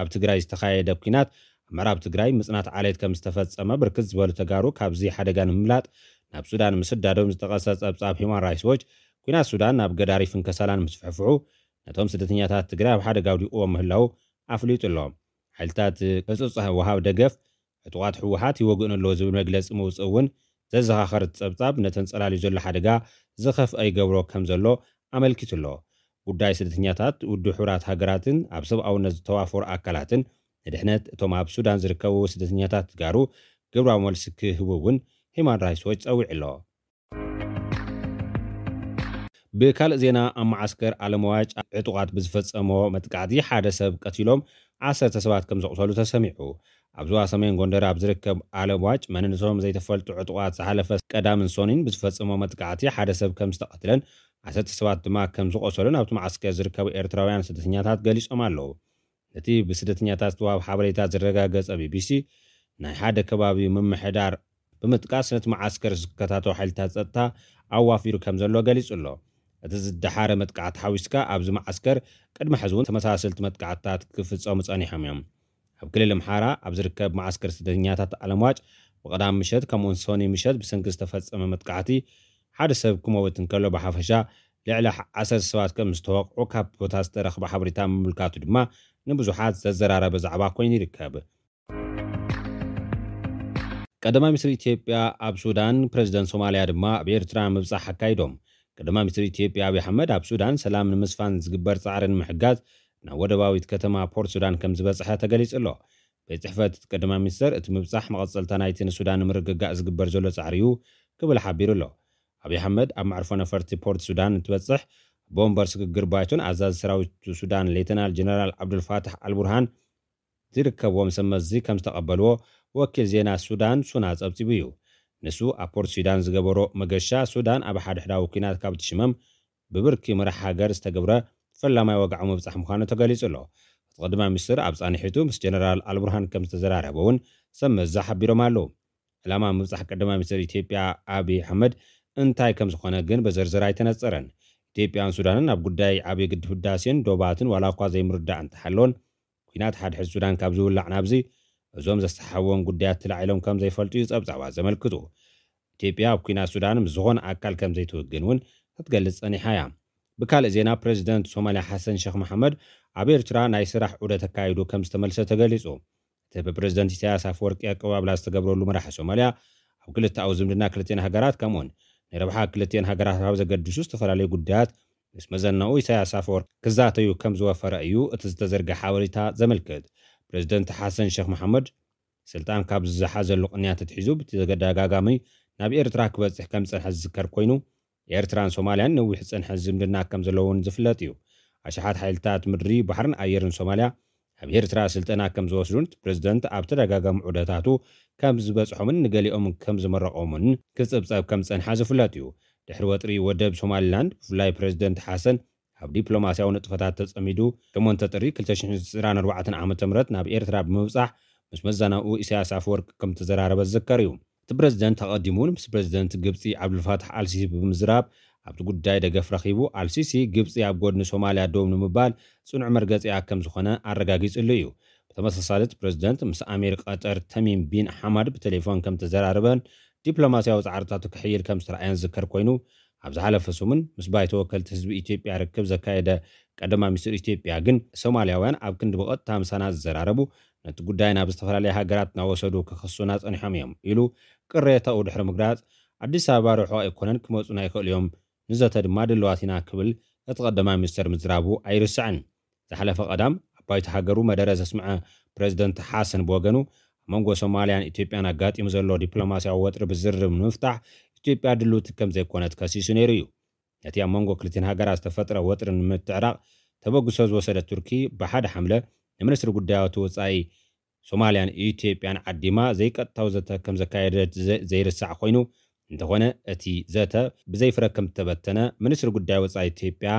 ኣብ ትግራይ ዝተኻየደ ኲናት፣ ኣብ ምዕራብ ትግራይ ምጽናት ዓሌት ከም ዝተፈጸመ፣ ብርክት ዝበሉ ተጋሩ ካብዚ ሓደጋ ንምምላጥ ናብ ሱዳን ምስዳዶም ዝጠቐሰ ጸብጻብ ሂማን ራይትስ ዎች፣ ኲናት ሱዳን ናብ ገዳሪፍን ከሳላን ምስፍሕፍሑ፣ ነቶም ስደተኛታት ትግራይ ኣብ ሓደጋ ኣውዲቕዎም ምህላዉ ኣፍሊጡ ኣሎ። ሓይልታት ህጹጽ ወሃብ ደገፍ ዕጡቓት ህወሓት ይወግእን ኣለዎ ዝብል መግለጺ ምውጽእ እውን ዘዘኻኸር እቲ ጸብጻብ፣ ነተን ጸላልዩ ዘሎ ሓደጋ ዝኸፍአ ይገብሮ ከም ዘሎ ኣመልኪቱ ኣሎ። ጉዳይ ስደተኛታት፣ ውድብ ሕቡራት ሃገራትን ኣብ ሰብኣውነት ዝተዋፈሩ ኣካላትን ንድሕነት እቶም ኣብ ሱዳን ዝርከቡ ስደተኛታት ትጋሩ ግብራዊ መልሲ ክህቡ እውን ሂማን ራይትስ ዎች ጸዊዑ ኣሎ። ብካልእ ዜና፣ ኣብ መዓስከር ኣለምዋጭ ዕጡቓት ብዝፈጸሞ መጥቃዕቲ ሓደ ሰብ ቀቲሎም፣ ዓሰርተ ሰባት ከም ዘቑሰሉ ተሰሚዑ። ኣብ ዞባ ሰሜን ጎንደር ኣብ ዝርከብ ኣለምዋጭ መንነቶም ዘይተፈልጡ ዕጡቓት ዝሓለፈ ቀዳምን ሶኒን ብዝፈጸሞ መጥቃዕቲ ሓደ ሰብ ከም ዝተቐትለን ዓሰርተ ሰባት ድማ ከም ዝቖሰሉን ኣብቲ መዓስከር ዝርከቡ ኤርትራውያን ስደተኛታት ገሊጾም ኣለዉ። ነቲ ብስደተኛታት ዝተዋህበ ሓበሬታ ዝረጋገጸ ቢቢሲ፣ ናይ ሓደ ከባቢ ምምሕዳር ብምጥቃስ፣ ነቲ መዓስከር ዝከታተሉ ሓይልታት ጸጥታ ኣዋፊሩ ከም ዘሎ ገሊጹ ኣሎ። እቲ ዝደሓረ መጥቃዕቲ ሓዊስካ፣ ኣብዚ መዓስከር ቅድሚ ሕዚ እውን ተመሳሰልቲ መጥቃዕትታት ክፍጸሙ ጸኒሖም እዮም። ኣብ ክልል ኣምሓራ ኣብ ዝርከብ መዓስከር ስደተኛታት ኣለምዋጭ ብቐዳም ምሸት ከምኡውን ሶኒ ምሸት ብሰንኪ ዝተፈጸመ መጥቃዕቲ ሓደ ሰብ ክመውት እንከሎ፣ ብሓፈሻ ልዕሊ ዓሰርተ ሰባት ከም ዝተወቕዑ ካብ ቦታ ዝተረኽበ ሓበሬታ ምምልካቱ ድማ ንብዙሓት ዘዘራረበ ዛዕባ ኮይኑ ይርከብ። ቀዳማይ ሚኒስትር ኢትዮጵያ ኣብ ሱዳን፣ ፕሬዝደንት ሶማልያ ድማ ኣብ ኤርትራ ምብጻሕ ኣካይዶም። ቀዳማይ ሚኒስትር ኢትዮጵያ ኣብይ ኣሕመድ ኣብ ሱዳን ሰላም ንምስፋን ዝግበር ጻዕሪ ንምሕጋዝ ናብ ወደባዊት ከተማ ፖርት ሱዳን ከም ዝበጽሐ ተገሊጹ ኣሎ። ቤት ጽሕፈት ቀዳማይ ሚኒስትር፣ እቲ ምብጻሕ መቐጸልታ ናይቲ ንሱዳን ንምርግጋእ ዝግበር ዘሎ ጻዕሪ እዩ ክብል ሓቢሩ ኣሎ። ኣብይ ኣሕመድ ኣብ መዕርፎ ነፈርቲ ፖርት ሱዳን እንትበጽሕ፣ ኣቦ ወንበር ስግግር ባይቶን ኣዛዚ ሰራዊት ሱዳን ሌተናል ጀነራል ዓብዱልፋታሕ ኣልቡርሃን ዝርከብዎም ሰብ መዚ ከም ዝተቐበልዎ ወኪል ዜና ሱዳን ሱና ጸብጺቡ እዩ። ንሱ ኣብ ፖርት ሱዳን ዝገበሮ መገሻ፣ ሱዳን ኣብ ሓድሕዳዊ ኲናት ካብ ትሽመም ብብርኪ መራሕ ሃገር ዝተገብረ ፈላማይ ወግዓዊ ምብጻሕ ምዃኑ ተገሊጹ ኣሎ። እቲ ቀዳማይ ሚኒስትር ኣብ ጻንሒቱ ምስ ጀነራል ኣልቡርሃን ከም ዝተዘራረበ እውን ሰብ መዚ ሓቢሮም ኣለዉ። ዕላማ ምብጻሕ ቀዳማይ ሚኒስትር ኢትዮጵያ ኣብይ ኣሕመድ እንታይ ከም ዝኾነ ግን ብዝርዝር ኣይተነጸረን። ኢትዮጵያን ሱዳንን ኣብ ጉዳይ ዓብዪ ግድብ ህዳሴን ዶባትን ዋላ እኳ ዘይምርዳእ እንተሃለወን፣ ኲናት ሓድሕድ ሱዳን ካብ ዝውላዕ ናብዚ፣ እዞም ዘሰሓሕዎም ጉዳያት ተላዒሎም ከም ዘይፈልጡ እዩ ጸብጻባት ዘመልክቱ። ኢትዮጵያ ኣብ ኲናት ሱዳን ምስ ዝኾነ ኣካል ከም ዘይትውግን እውን ክትገልጽ ጸኒሓ እያ። ብካልእ ዜና፣ ፕሬዚደንት ሶማልያ ሓሰን ሸኽ መሓመድ ኣብ ኤርትራ ናይ ስራሕ ዑደት ኣካይዱ ከም ዝተመልሰ ተገሊጹ። እቲ ብፕሬዚደንት ኢሳያስ ኣፈወርቂ ኣቀባብላ ዝተገብረሉ መራሒ ሶማልያ፣ ኣብ ክልተኣዊ ዝምድና ክልቲኤን ሃገራት፣ ከምኡውን ንረብሓ ክልቲኤን ሃገራት ኣብ ዘገድሱ ዝተፈላለዩ ጉዳያት ምስ መዘናኡ ኢሳያስ ኣፈወርቂ ክዛተዩ ከም ዝወፈረ እዩ እቲ ዝተዘርግሐ ሓበሬታ ዘመልክት። ፕሬዚደንት ሓሰን ሸኽ መሓመድ ስልጣን ካብ ዝሓዘሉ ቅንያት ኣትሒዙ ብተደጋጋሚ ናብ ኤርትራ ክበጽሕ ከም ዝጸንሐ ዝዝከር ኮይኑ፣ ኤርትራን ሶማልያን ነዊሕ ዝጸንሐ ዝምድና ከም ዘለውን ዝፍለጥ እዩ። ኣሽሓት ሓይልታት ምድሪ፣ ባሕርን ኣየርን ሶማልያ ኣብ ኤርትራ ስልጠና ከም ዝወስዱን እቲ ፕሬዚደንት ኣብ ተደጋጋሚ ዑደታቱ ከም ዝበጽሖምን ንገሊኦም ከም ዝመረቖምን ክጽብጸብ ከም ዝጸንሐ ዝፍለጥ እዩ። ድሕሪ ወጥሪ ወደብ ሶማሊላንድ፣ ብፍላይ ፕሬዚደንት ሓሰን ኣብ ዲፕሎማስያዊ ንጥፈታት ተጸሚዱ፣ ሸሞንተ ጥሪ ክልተ ሽሕን ዕስራን ኣርባዕተን ዓመተ ምህረት ናብ ኤርትራ ብምብጻሕ፣ ምስ መዘናኡ ኢሳያስ ኣፈወርቂ ከም ዝተዘራረበ ዝዝከር እዩ። እቲ ፕሬዚደንት ኣቐዲሙ እውን ምስ ፕሬዚደንት ግብጺ ዓብዱልፋታሕ ኣልሲሲ ብምዝራብ፣ ኣብቲ ጉዳይ ደገፍ ረኺቡ፣ ኣልሲሲ ግብፂ ኣብ ጎድኒ ሶማልያ ደው ንምባል ፅኑዕ መርገፂኣ ከም ዝኾነ ኣረጋጊፅሉ እዩ። ብተመሳሳሊ፣ እቲ ፕሬዝደንት ምስ ኣሚር ቀጠር ተሚም ቢን ሓማድ ብቴሌፎን ከም ተዘራረበን ዲፕሎማስያዊ ፃዕርታቱ ክሕይል ከም ዝተረኣየን ዝዝከር ኮይኑ፣ ኣብ ዝሓለፈ ሰሙን ምስ ባይቶ ወከልቲ ህዝቢ ኢትዮጵያ ርክብ ዘካየደ ቀዳማይ ሚኒስትር ኢትዮጵያ ግን፣ ሶማልያውያን ኣብ ክንዲ ብቐጥታ ምሳና ዝዘራረቡ፣ ነቲ ጉዳይ ናብ ዝተፈላለያ ሃገራት እናወሰዱ ክኸሱና ጸኒሖም እዮም ኢሉ ቅሬታኡ ድሕሪ ምግላጽ፣ ኣዲስ ኣበባ ርሑቕ ኣይኮነን፣ ክመጹና ይኽእሉ እዮም፣ ንዘተ ድማ ድልዋት ኢና ክብል እቲ ቀዳማይ ሚኒስተር ምዝራቡ ኣይርስዕን። ዝሓለፈ ቀዳም ኣብ ባይቶ ሃገሩ መደረ ዘስምዐ ፕሬዝደንት ሓሰን ብወገኑ፣ ኣብ መንጎ ሶማልያን ኢትዮጵያን ኣጋጢሙ ዘሎ ዲፕሎማስያዊ ወጥሪ ብዝርርብ ንምፍታሕ ኢትዮጵያ ድልውቲ ከም ዘይኮነት ከሲሱ ነይሩ እዩ። ነቲ ኣብ መንጎ ክልቲን ሃገራት ዝተፈጥረ ወጥሪ ንምትዕራቕ ተበግሶ ዝወሰደት ቱርኪ፣ ብሓደ ሓምለ ንሚኒስትሪ ጉዳያት ወጻኢ ሶማልያን ኢትዮጵያን ዓዲማ ዘይቀጥታዊ ዘተ ከም ዘካየደት ዘ-፣ ዘይርሳዕ ኮይኑ፣ እንተኾነ እቲ ዘተ ብዘይ ፍረ ከም ዝተበተነ ሚኒስትሪ ጉዳይ ወጻኢ ኢትዮጵያ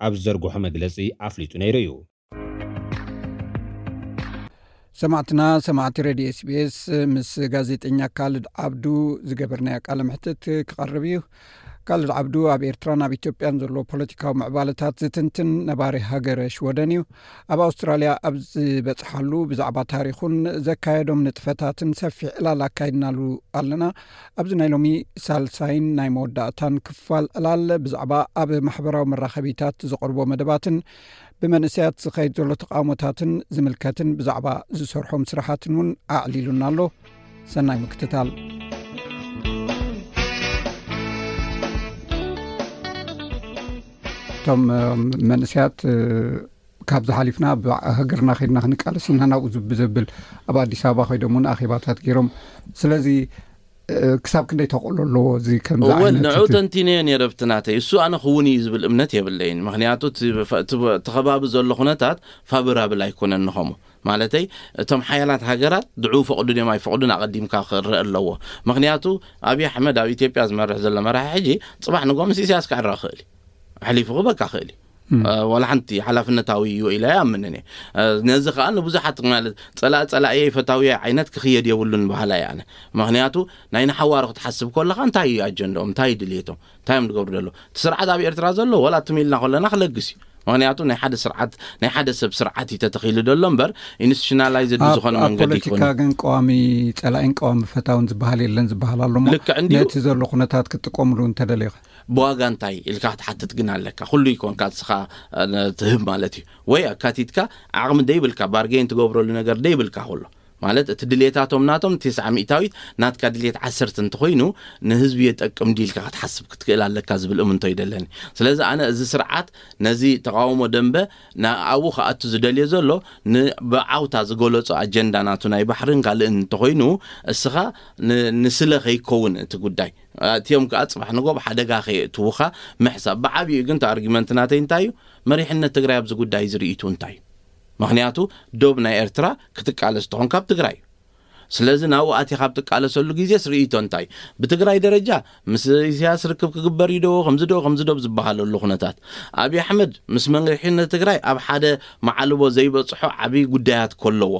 ኣብ ዝዘርግሖ መግለጺ ኣፍሊጡ ነይሩ እዩ። ሰማዕትና፣ ሰማዕቲ ሬድዮ ኤስቢኤስ፣ ምስ ጋዜጠኛ ካልድ ዓብዱ ዝገበርናዮ ቃለ መሕትት ክቐርብ እዩ። ካልድ ዓብዱ ኣብ ኤርትራን ኣብ ኢትዮጵያን ዘሎ ፖለቲካዊ ምዕባለታት ዝትንትን ነባሪ ሃገረ ሽወደን እዩ። ኣብ ኣውስትራልያ ኣብ ዝበጽሓሉ ብዛዕባ ታሪኹን ዘካየዶም ንጥፈታትን ሰፊሕ ዕላል ኣካይድናሉ ኣለና። ኣብዚ ናይ ሎሚ ሳልሳይን ናይ መወዳእታን ክፋል ዕላል ብዛዕባ ኣብ ማሕበራዊ መራኸቢታት ዝቐርቦ መደባትን ብመንእሰያት ዝኸይድ ዘሎ ተቓውሞታትን ዝምልከትን ብዛዕባ ዝሰርሖም ስራሓትን እውን ኣዕሊሉና ኣሎ። ሰናይ ምክትታል። እቶም መንእሰያት ካብዚ ሓሊፍና ኣብ ሃገርና ከይድና ክንቃለስ ኢና ናብኡ ዝብ ዘብል ኣብ ኣዲስ ኣበባ ከይዶም እውን ኣኼባታት ገይሮም። ስለዚ ክሳብ ክንደይ ተቕሎ ኣለዎ እዚ ከምዚ እወ ዓይነት ንዑ እቲ ተንቲነዮ ነይረ ኣብቲ ናተይ። እሱ ኣነ ክውን እዩ ዝብል እምነት የብለይን። ምኽንያቱ እቲ ፈ-፣ እቲ በ-፣ እቲ ከባቢ ዘሎ ኩነታት ፋብራብል ኣይኮነን ንኸሙ። ማለተይ እቶም ሓያላት ሃገራት ድዑ ፈቕዱ ድዮም ኣይፈቕዱን ኣቐዲምካ ክረአ ኣለዎ። ምኽንያቱ ኣብይ ኣሕመድ ኣብ ኢትዮጵያ ዝመርሕ ዘሎ መራሒ ሕጂ ጽባሕ ንጎ ምስ ኢሳያስ ክዕረ ክእል እዩ። ኣሕሊፉ ክበካ ክእል እዩ። እ፣ ዋላ ሓንቲ ሓላፍነታዊ እዩ ኢለ ኣይኣምንን እየ። እ፣ ነዚ ከኣ ንብዙሓት ማለት ጸላእ ጸላእየይ ፈታውየይ ዓይነት ክኽየድ የብሉን በሃላይ ኣነ። ምኽንያቱ ናይ ንሓዋሩ ክትሓስብ ከለኻ እንታይ እዩ ኣጀንዳኦም? እንታይ እዩ ድልየቶም? እንታይ እዮም ዝገብሩ ዘለዉ? እቲ ስርዓት ኣብ ኤርትራ ዘሎ ዋላ ትም ኢልና ከለና ክለግስ እዩ። ምኽንያቱ ናይ ሓደ ስርዓት፣ ናይ ሓደ ሰብ ስርዓት እዩ ተተኺሉ ዘሎ እምበር ኢንስቲቱሽናላይዝድ ኣብ፣ ዝኾነ ኣብ መንገዲ ፖለቲካ ኣይኮነን። ግን ቀዋሚ ጸላኢን ቀዋሚ ፈታውን ዝበሃል የለን ዝበሃል ኣሎ እሞ ልክዕ እንድዩ። ነቲ ዘሎ ኩነታት ክትጥቀምሉ እንተደሊኻ? ብዋጋ እንታይ ኢልካ ክትሓትት ግን ኣለካ። ኩሉ ይኮንካ ንስኻ፣ እ፣ ትህብ ማለት እዩ። ወይ ኣካቲትካ ዓቕሚ ደይብልካ፣ ባርጌን ትገብረሉ ነገር ደይብልካ ከሎ። ማለት እቲ ድሌታቶም ናቶም ተስዓ ሚእታዊት ናትካ ድሌት ዓሰርተ እንተኾይኑ ንህዝቢ የጠቅም ድዩ ኢልካ ክትሓስብ ክትክእል ኣለካ ዝብል እምንቶ ይደለኒ። ስለዚ ኣነ እዚ ስርዓት ነዚ ተቃውሞ ደንበ ና-፣ ኣብኡ ክኣቱ ዝደልዮ ዘሎ ን-፣ ብዓውታ ዝገለጾ ኣጀንዳ ናቱ ናይ ባሕርን ካልእን እንተኾይኑ እስኻ ን-፣ ንስለ ከይከውን እቲ ጉዳይ። ኣእትዮም ከኣ ጽባሕ ንጎ ብሓደጋ ከየእትዉኻ ምሕሳብ። ብዓብዩ ግን እቲ ኣርጊመንት ናተይ እንታይ እዩ? መሪሕነት ትግራይ ኣብዚ ጉዳይ ዝርእይቱ እንታይ እዩ? ምኽንያቱ ዶብ ናይ ኤርትራ ክትቃለስ ተኾንካ ኣብ ትግራይ እዩ። ስለዚ ናብኡ ኣቲኻ ኣብ ትቃለሰሉ ግዜስ ርእይቶ እንታይ እዩ? ብትግራይ ደረጃ ምስ ኢሳያስ ርክብ ክግበር እዩ ዶ፣ ከምዚ ዶ፣ ከምዚ ዶ ዝበሃለሉ ኩነታት። ኣብይ ኣሕመድ ምስ መሪሕነት ትግራይ ኣብ ሓደ መዓልቦ ዘይበጽሖ ዓብዪ ጉዳያት ከለዎ፣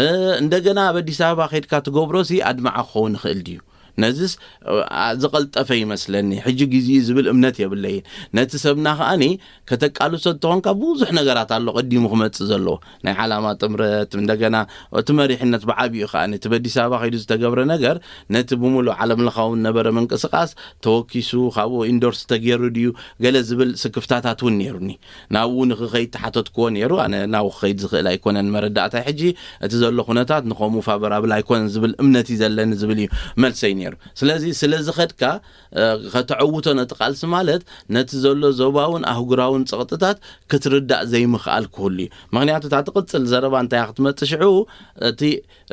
እ፣ እንደገና ኣብ ኣዲስ ኣበባ ከይድካ ትገብሮሲ ኣድማዒ ክኸውን ይኽእል ድዩ? ነዚስ፣ እ፣ ኣ-፣ ዝቐልጠፈ ይመስለኒ። ሕጂ ግዜኡ ዝብል እምነት የብለይን። ነቲ ሰብና ከኣኒ ከተቃልሶ እንተኾንካ ብዙሕ ነገራት ኣሎ ቀዲሙ ክመጽእ ዘለዎ። ናይ ዓላማ ጥምረት፣ እንደገና እቲ መሪሕነት ብዓቢኡ ከኣኒ እቲ በኣዲስ ኣበባ ከይዱ ዝተገብረ ነገር ነቲ ብምሉእ ዓለም ለኻዊ ነበረ ምንቅስቃስ ተወኪሱ፣ ካብኡ ኢንዶርስ ተገይሩ ድዩ ገለ ዝብል ስክፍታታት እውን ነይሩኒ። ናብኡ ንክኸይድ ተሓተትክዎ ነይሩ። ኣነ ናብኡ ክኸይድ ዝኽእል ኣይኮነን መረዳእታይ። ሕጂ እቲ ዘሎ ኩነታት ንኸምኡ ፋቨራብል ኣይኮነን ዝብል እምነት እዩ ዘለኒ ዝብል እዩ መልሰይ ነይሩ። ስለዚ ስለ ዝኸድካ፣ እ፣ ከተዕውቶ ነቲ ቃልሲ ማለት ነቲ ዘሎ ዞባውን ኣህጉራውን ጸቕጥታት ክትርዳእ ዘይምኽኣል ክህሉ እዩ። ምኽንያቱ እታ ትቕጽል ዘረባ እንታይ እያ ክትመጽእ ሽዑ፣ እቲ፣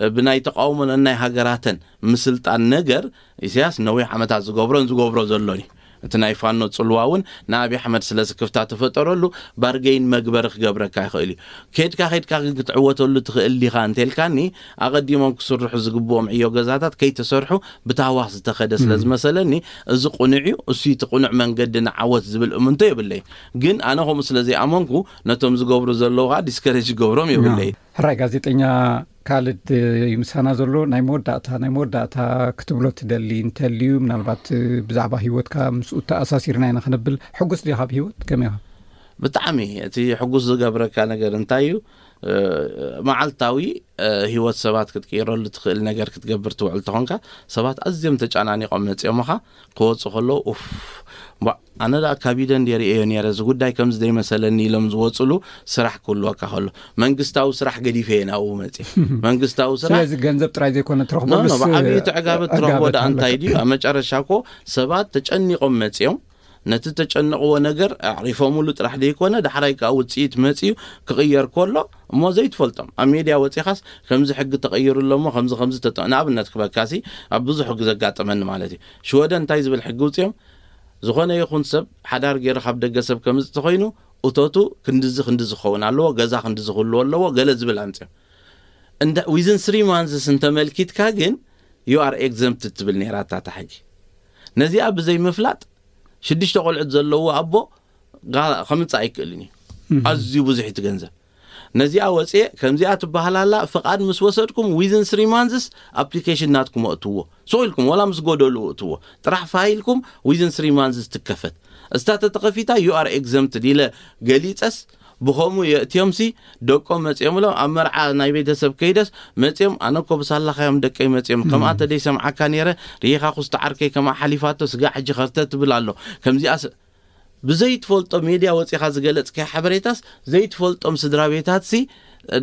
እ፣ ብናይ ተቃውሞ ነናይ ሃገራተን ምስልጣን ነገር ኢሳያስ ነዊሕ ዓመታት ዝገብሮን ዝገብሮ ዘሎን እዩ። እቲ ናይ ፋኖ ጽልዋ እውን ንኣብይ ኣሕመድ ስለ ስክፍታ ተፈጠረሉ ባርጌይን መግበሪ ክገብረካ ይኽእል እዩ። ከድካ ከድካ ግን ክትዕወተሉ ትኽእል ዲኻ እንተልካኒ፣ ኣቐዲሞም ክስርሑ ዝግብኦም ዕዮ ገዛታት ከይተሰርሑ ብታህዋኽ ዝተኸደ ስለ እም። ዝመሰለኒ፣ እዚ ቁኑዕ እዩ፣ እሱ እቲ ቁኑዕ መንገዲ ንዓወት ዝብል እምንቶ የብለይ። ግን ኣነ ከምኡ ስለ ዘይኣመንኩ፣ ነቶም ዝገብሩ ዘለዉ ኸኣ ዲስከሬጅ ይገብሮም የብለይ። ሕራይ ጋዜጠኛ ካልድ፣ ምሳና ዘሎ ናይ መወዳእታ ናይ መወዳእታ ክትብሎ ትደሊ እንተልዩ፣ ምናልባት ብዛዕባ ህይወትካ ምስኡ ተኣሳሲርና ኢና ክንብል። ሕጉስ ዲኻ ብህይወት? ከመይ ኢኻ? ብጣዕሚ እቲ ሕጉስ ዝገብረካ ነገር እንታይ እዩ? መዓልታዊ ህይወት ሰባት ክትቅይረሉ ትኽእል ነገር ክትገብር ትውዕል ተኾንካ፣ ሰባት ኣዝዮም ተጨናኒቆም መፅኦምኻ ክወፁ ከለዉ፣ ኡፍ፣ ኣነ ዳ ካቢደ እንደ ርእዮ ነረ፣ እዚ ጉዳይ ከምዚ ዘይመሰለኒ ኢሎም ዝወፅሉ ስራሕ ክህልወካ ከሎ፣ መንግስታዊ ስራሕ ገዲፈ እየ ናብኡ መፅእ። መንግስታዊ ስራሕ ስለዚ ገንዘብ ጥራይ ዘይኮነ ትረኽበሉ ብዓብዩ ትዕጋበት ትረኽቦ ዳ እንታይ ድዩ? ኣብ መጨረሻ እኮ ሰባት ተጨኒቆም መፅኦም ነቲ ተጨንቕዎ ነገር ኣዕሪፎምሉ ጥራሕ ዘይኮነ፣ ዳሕራይ ከዓ ውፅኢት መፅዩ ክቕየር ከሎ እሞ ዘይትፈልጦም ኣብ ሜድያ ወፂኻስ፣ ከምዚ ሕጊ ተቐይሩ ኣሎ እሞ ከምዚ ከምዚ ተጠ ንኣብነት ክበካሲ፣ ኣብ ብዙሕ ግዘ ኣጋጠመኒ ማለት እዩ። ሽወደን እንታይ ዝብል ሕጊ ውፅኦም? ዝኾነ ይኹን ሰብ ሓዳር ገይሩ ካብ ደገ ሰብ ከምዚ ተኾይኑ፣ እቶቱ ክንድዚ ክንድዚ ክኸውን ኣለዎ፣ ገዛ ክንድዚ ክህልዎ ኣለዎ፣ ገለ ዝብል ኣምፅኦም። እንደ within three months እንተመልኪትካ ግን you are exempt ትብል ነይራ እታ ሕጊ። ነዚኣ ብዘይ ምፍላጥ ሽዱሽተ ቆልዑት ዘለዎ ኣቦ ከምፅእ ኣይክእልን እዩ። ኣዝዩ ብዙሕ እቲ ገንዘብ። ነዚኣ ወፅኤ ከምዚኣ ትበሃል ኣላ። ፍቓድ ምስ ወሰድኩም within three months ኣፕሊኬሽን ናትኩም ኣእትዎ። ስቕ ኢልኩም ወላ ምስ ጎደሉ እእትዎ። ጥራሕ ፋይልኩም within three months ትከፈት። እስታ ተተኸፊታ you are exempt ኢለ ገሊፀስ፣ ብኸምኡ የእትዮም ሲ ደቆም መፅኦም ኢሎም ኣብ መርዓ ናይ ቤተሰብ ከይደስ መፅኦም፣ ኣነ እኮ ብሳላኻዮም ደቀይ መፅኦም፣ ከምኣ ተደይ ሰምዓካ ነይረ፣ ርኢኻ ኩስቲ ዓርከይ ከምኣ ሓሊፋቶ፣ ስጋዕ ሕጂ ከርተ ትብል ኣሎ። ከምዚኣ ስ- ብዘይትፈልጦ ሜድያ ወፂኻ ዝገለፅካዮ ሓበሬታስ ዘይትፈልጦም ስድራ ቤታት ሲ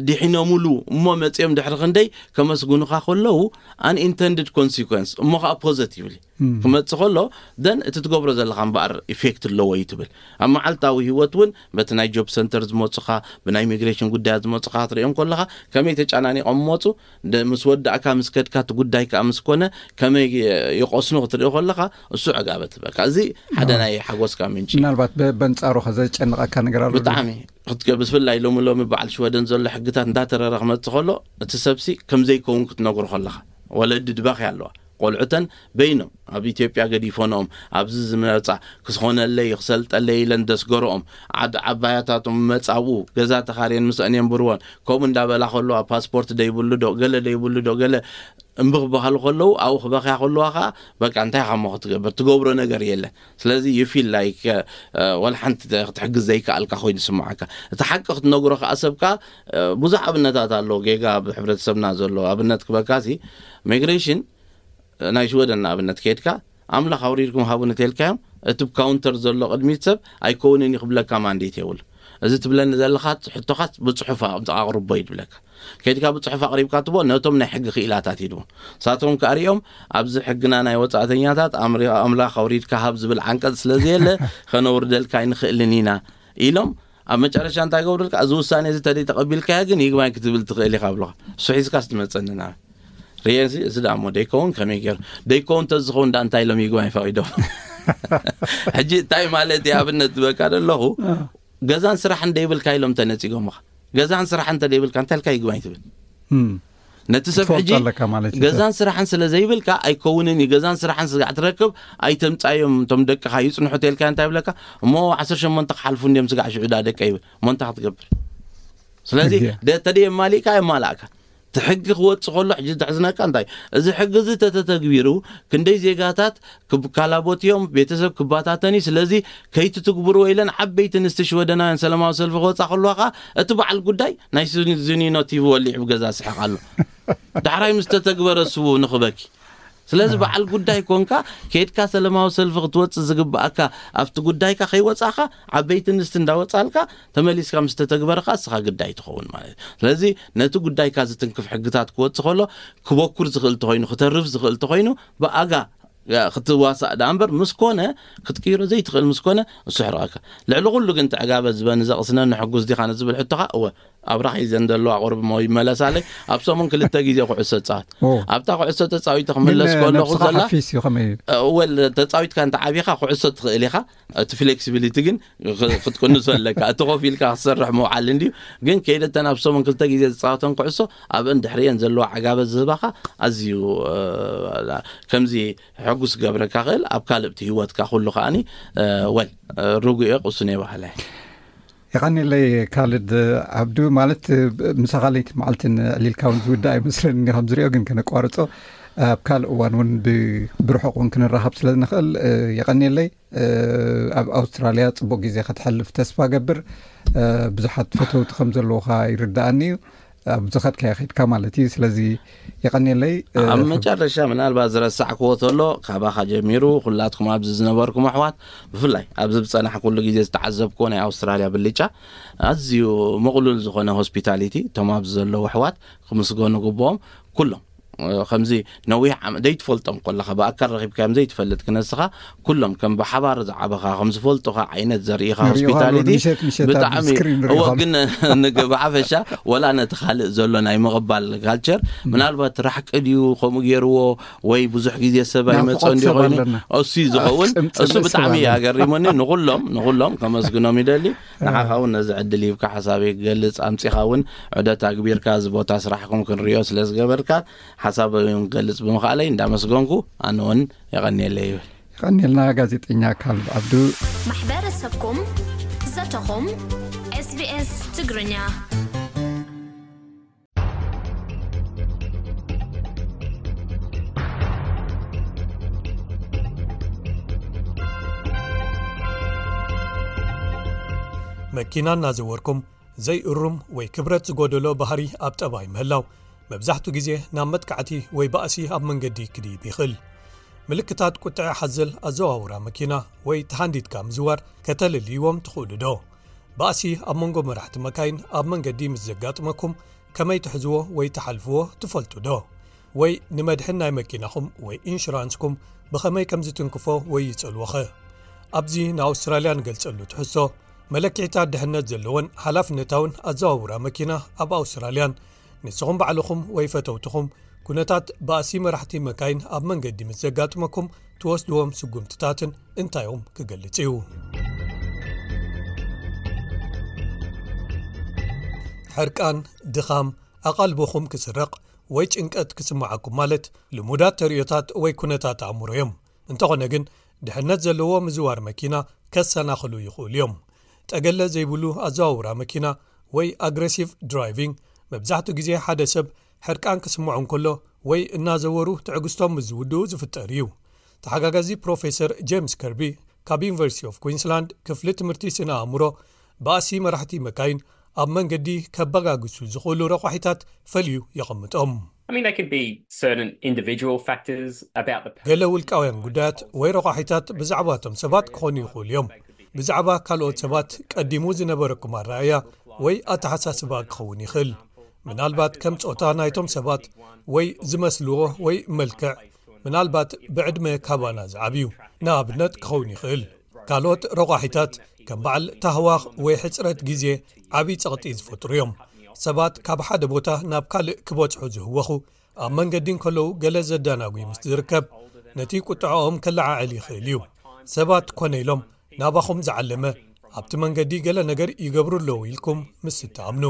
ድሒኖምሉ እሞ መፅኦም ድሕሪ ክንደይ ከመስግኑኻ ከለዉ፣ unintended consequence እሞ ከዓ ፖዘቲቭሊ ክመፅእ ከሎ፣ ደን እቲ ትገብሮ ዘለኻ እምበኣር ኢፌክት ኣለዎ እዩ ትብል። ኣብ መዓልታዊ ህይወት እውን በቲ ናይ ጆብ ሰንተር ዝመፁኻ፣ ብናይ ኢሚግሬሽን ጉዳያት ዝመፁኻ ክትሪኦም ከለኻ ከመይ ተጨናኒቖም መፁ፣ ደ- ምስ ወዳእካ ምስ ከድካ እቲ ጉዳይ ከዓ ምስ ኮነ ከመይ ይቆስኑ ክትርኢ ከለኻ፣ እሱ ዕጋበት በቃ። እዚ ሓደ ናይ ሓጎስካ ምንጪ። ምናልባት በ- በንጻሩ ከ ዘጨንቐካ ነገር ኣሎ? ብጣዕሚ ክትገ- ብፍላይ ሎሚ ሎሚ በዓል ሽወደን ዘሎ ሕግታት እንዳተረረ ክመፅእ ከሎ፣ እቲ ሰብሲ ከም ዘይከውን ክትነግሮ ከለኻ፣ ወለዲ ድባኺ ኣለዋ። ቆልዑተን በይኖም ኣብ ኢትዮጵያ ገዲፎንኦም ኣብዚ ዝመፃ ክስኾነለይ ክሰልጠለይ ኢለን ደስገርኦም ዓድ ዓባያታቶም መፃብኡ ገዛ ተኻርየን ምስአን የንብርወን። ከምኡ እንዳበላ ከለዋ ፓስፖርት ደይብሉ ዶ ገለ ደይብሉ ዶ ገለ እምቢ ክበሃሉ ከለዉ ኣብኡ ክበኽያ ከለዋ ከዓ በቃ እንታይ ኢኻ እሞ ክትገብር ትገብሮ ነገር የለን። ስለዚ you feel like ወላ ሓንቲ ክትሕግዝ ዘይከኣልካ ኮይኑ ይስምዓካ። እቲ ሓቂ ክትነግሮ ከዓ ሰብካ ብዙሕ ኣብነታት ኣሎ ጌጋ ኣብ ሕብረተሰብና ዘሎ ኣብነት ክበካሲ ሚግሬሽን ናይ ሽወደን ንኣብነት ከይድካ ኣምላኽ ኣውሪድኩም ሃቡኒ ተልካዮም እቲ ካውንተር ዘሎ ቅድሚት ሰብ ኣይከውንን እዩ ክብለካ ማንዴት የብሉ። እዚ ትብለኒ ዘለኻ ሕቶኻት ብፅሑፍ ኣቕርቦ እዩ ትብለካ። ከይድካ ብፅሑፍ ኣቕሪብካ ትቦ ነቶም ናይ ሕጊ ክኢላታት ይድቦ ሳቶም ክኣሪኦም ኣብዚ ሕግና ናይ ወፃእተኛታት ኣምላኽ ኣውሪድካ ሃብ ዝብል ዓንቀፅ ስለዘየለ ከነውርደልካ ኣይንኽእልን ኢና ኢሎም ኣብ መጨረሻ እንታይ ገብሩልካ እዚ ውሳኔ እዚ ተደይ ተቐቢልካዮ ግን ይግባኝ ክትብል ትኽእል ኢኻ ብሎኻ። እሱ ሒዝካ ስትመፀኒ ናብ ርኤ እዚ እዚ ደኣ እሞ ደይከውን ከመይ ገይሩ ደይከውን ተዝኸውን ደኣ እንታይ ኢሎም ይግባኝ ፈቒዶም? ሕጂ እንታይ ማለት እዩ ኣብነት ዝበካ ዘለኹ ገዛን ስራሕን ደይብልካ ኢሎም ተነፂጎምኻ። ገዛን ስራሕን እንተ ደይብልካ እንታይ ኢልካ ይግባኝ ትብል? ነቲ ሰብ ሕጂ ገዛን ስራሕን ስለ ዘይብልካ ኣይከውንን እዩ። ገዛን ስራሕን ስጋዕ ትረክብ ኣይተምፃዮም እቶም ደቅኻ ይፅንሑ ተልካ እንታይ ብለካ እሞ ዓሰርተ ሸሞንተ ክሓልፉ እንዲዮም ስጋዕ ሽዑዳ ደቀ ይብል እሞ እንታይ ክትገብር? ስለዚ ተደየማሊእካ የማላእካ እቲ ሕጊ ክወፅእ ከሎ ሕጂ ዘሕዝነካ እንታይ እዚ ሕጊ እዚ ተተተግቢሩ ክንደይ ዜጋታት ክካላቦት እዮም ቤተሰብ ክባታተን እዩ። ስለዚ ከይትትግብርዎ ኢለን ዓበይቲ ንስቲ ሽወደናውያን ሰላማዊ ሰልፊ ክወፃ ከለዋ ከዓ እቲ በዓል ጉዳይ ናይ ዝኒኖ ቲቪ ወሊዑ ብገዛ ስሕቕ ኣሎ። ዳሕራይ ምስ ተተግበረ ስቡ ንኽበኪ ስለዚ በዓል ጉዳይ ኮንካ ከይድካ ሰለማዊ ሰልፊ ክትወፅእ ዝግብኣካ ኣብቲ ጉዳይካ ከይወፃእካ ዓበይቲ ንስቲ እንዳወፃልካ ተመሊስካ ምስ ተተግበርካ እስኻ ግዳይ ትኸውን ማለት እዩ። ስለዚ ነቲ ጉዳይካ ዝትንክፍ ሕግታት ክወፅእ ከሎ ክበኩር ዝኽእል ተኮይኑ ክተርፍ ዝኽእል ተኮይኑ ብኣጋ ክትዋሳእ ዳ እምበር ምስ ኮነ ክትቅይሮ ዘይትኽእል ምስ ኮነ እሱ ሕርቐካ። ልዕሊ ኩሉ ግን ተዕጋበ ዝበኒ ዘቕስነኒ ሕጉስ ዲኻ ንዝብል ሕቶኻ እወ ኣብራኺ ዘን ዘለዋ ቁርብ ሞ ይመለሳለይ ኣብ ሰሙን ክልተ ግዜ ኩዕሶ ፃወት ኣብታ ኩዕሶ ተፃዊተ ክምለስ ከለኹ ዘላ ወል ተፃዊትካ እንተ ዓቢኻ ኩዕሶ ትኽእል ኢኻ እቲ ፍሌክሲቢሊቲ ግን ክትቅንሶ ኣለካ እቲ ኮፍ ኢልካ ክትሰርሕ ምውዓል እንድዩ ግን ከይደተን ኣብ ሰሙን ክልተ ግዜ ዝፃወተን ኩዕሶ ኣብአን ድሕሪአን ዘለዋ ዓጋበት ዝህባኻ ኣዝዩ ከምዚ ሕጉስ ገብረካ ክእል ኣብ ካልእቲ ህይወትካ ኩሉ ከዓኒ ወል ርጉኤ ቁሱን የባህለ የቐኒለይ ካልድ ዓብዱ። ማለት፣ ምሳኻ ለይቲ መዓልትን ዕሊልካ እውን ዝውዳእ ኣይመስለኒ፣ ከም ዝሪኦ ግን ከነቋርጾ፣ ኣብ ካልእ እዋን እውን ብ-፣ ብርሑቕ እውን ክንራኸብ ስለ ንኽእል፣ የቐኒለይ። ኣብ ኣውስትራልያ ጽቡቕ ግዜ ከተሕልፍ ተስፋ ገብር። ብዙሓት ፈተውቲ ከም ዘለውኻ ይርዳኣኒ እዩ፣ ኣብ ዝኸድካዮ ኸድካ ማለት እዩ። ስለዚ የቐኒለይ። ኣብ መጨረሻ ምናልባት ዝረሳዕክዎ ተሎ፣ ካባኻ ጀሚሩ ኩላትኩም ኣብዚ ዝነበርኩም ኣሕዋት፣ ብፍላይ ኣብዚ ዝጸናሕኩሉ ግዜ ዝተዓዘብክዎ ናይ ኣውስትራልያ ብልጫ፣ ኣዝዩ ምቕሉል ዝኾነ ሆስፒታሊቲ፣ እቶም ኣብዚ ዘለዉ ኣሕዋት ክምስገኑ ግብኦም። ኩሎም ከምዚ ነዊሕ ዓመት ዘይትፈልጦም ከለኻ ብኣካል ረኺብካዮም ዘይትፈልጥ ክነስኻ፣ ኩሎም ከም ብሓባር ዝዓበኻ ከም ዝፈልጡኻ ዓይነት ዘርእኻ ሆስፒታሊቲ። ብጣዕሚ እወ። ግን ንግ ብሓፈሻ ወላ ነቲ ካልእ ዘሎ ናይ ምቕባል ካልቸር ምናልባት ራሕቂ ድዩ ከምኡ ገይርዎ፣ ወይ ብዙሕ ግዜ ሰብ ኣይመጾ እንዲ ኮይኑ እሱ ዝኸውን። እሱ ብጣዕሚ ኣገሪሙኒ። ንኹሎም ንኹሎም ከመስግኖም ይደሊ። ንዓኻ እውን ነዚ ዕድል ሂብካ ሓሳበይ ክገልጽ ኣምጺኻ እውን ዑደት ኣግቢርካ፣ እዚ ቦታ ስራሕኩም ክንሪኦ ስለ ዝገበርካ፣ ሓሳበይ እውን ክገልጽ ብምኽኣለይ እንዳመስገንኩ፣ ኣነ እውን የቐንየለይ ይብል። የቐንየልና ጋዜጠኛ ካልድ ዓብዱ። ማሕበረሰብኩም፣ ዘተኹም፣ SBS ትግርኛ። መኪና እናዘወርኩም ዘይእሩም ወይ ክብረት ዝጎደሎ ባህሪ ኣብ ጠባይ ምህላው፣ መብዛሕቱ ግዜ ናብ መጥቃዕቲ ወይ ባእሲ ኣብ መንገዲ ክድይብ ይኽእል። ምልክታት ቁጥዐ ሓዘል ኣዘዋውራ መኪና ወይ ተሃንዲድካ ምዝዋር ከተለልይዎም ትኽእሉ ዶ? ባእሲ ኣብ መንጎ መራሕቲ መካይን ኣብ መንገዲ ምስ ዘጋጥመኩም፣ ከመይ ትሕዝዎ ወይ ትሓልፍዎ ትፈልጡ ዶ? ወይ ንመድሕን ናይ መኪናኹም ወይ ኢንሹራንስኩም ብኸመይ ከም ዝትንክፎ ወይ ይጸልዎኸ? ኣብዚ ንኣውስትራልያ ንገልጸሉ ትሕዝቶ፣ መለኪዕታት ድሕነት ዘለዎን ሓላፍነታውን ኣዘዋውራ መኪና ኣብ ኣውስትራልያን፣ ንስኹም ባዕልኹም ወይ ፈተውትኹም ኩነታት ባእሲ መራሕቲ መካይን ኣብ መንገዲ ምስ ዘጋጥመኩም ትወስድዎም ስጉምትታትን እንታዮም ክገልጽ እዩ። ሕርቃን፣ ድኻም፣ ኣቓልቦኹም ክስረቕ ወይ ጭንቀት ክስምዓኩም ማለት ልሙዳት ተርእዮታት ወይ ኩነታት ኣእምሮ እዮም። እንተኾነ ግን፣ ድሕነት ዘለዎ ምዝዋር መኪና ከሰናኽሉ ይኽእሉ እዮም። ጠገለ ዘይብሉ ኣዘዋውራ መኪና ወይ ኣግረሲቭ ድራይቪንግ፣ መብዛሕትኡ ግዜ ሓደ ሰብ ሕርቃን ክስምዖ እንከሎ ወይ እናዘወሩ ትዕግስቶም ምስ ዝውድኡ ዝፍጠር እዩ። ተሓጋጋዚ ፕሮፌሰር ጄምስ ከርቢ ካብ ዩኒቨርሲቲ ኦፍ ኩዊንስላንድ ክፍሊ ትምህርቲ ስነ ኣእምሮ፣ ባእሲ መራሕቲ መካይን ኣብ መንገዲ ከበጋግሱ ዝኽእሉ ረቋሒታት ፈልዩ የቐምጦም። I mean, there could be certain individual factors about the ገለ ውልቃውያን ጉዳያት ወይ ረቋሒታት ብዛዕባቶም ሰባት ክኾኑ ይኽእሉ እዮም። ብዛዕባ ካልኦት ሰባት ቀዲሙ ዝነበረኩም ኣረኣእያ ወይ ኣተሓሳስባ ክኸውን ይኽእል። ምናልባት ከም ጾታ ናይቶም ሰባት ወይ ዝመስልዎ ወይ መልክዕ፣ ምናልባት ብዕድመ ካባና ዝዓብዩ ንኣብነት ክኸውን ይኽእል። ካልኦት ረቋሒታት ከም በዓል ታህዋኽ ወይ ሕጽረት ግዜ ዓቢ ጸቕጢ ዝፈጥሩ እዮም። ሰባት ካብ ሓደ ቦታ ናብ ካልእ ክበጽሑ ዝህወኹ ኣብ መንገዲ እንከለዉ ገለ ዘዳናጉ ምስ ዝርከብ፣ ነቲ ቁጥዐኦም ከለዓዕል ይኽእል እዩ። ሰባት ኮነ ኢሎም ናባኹም ዝዓለመ ኣብቲ መንገዲ ገለ ነገር ይገብሩ ኣለዉ ኢልኩም ምስ እትኣምኑ።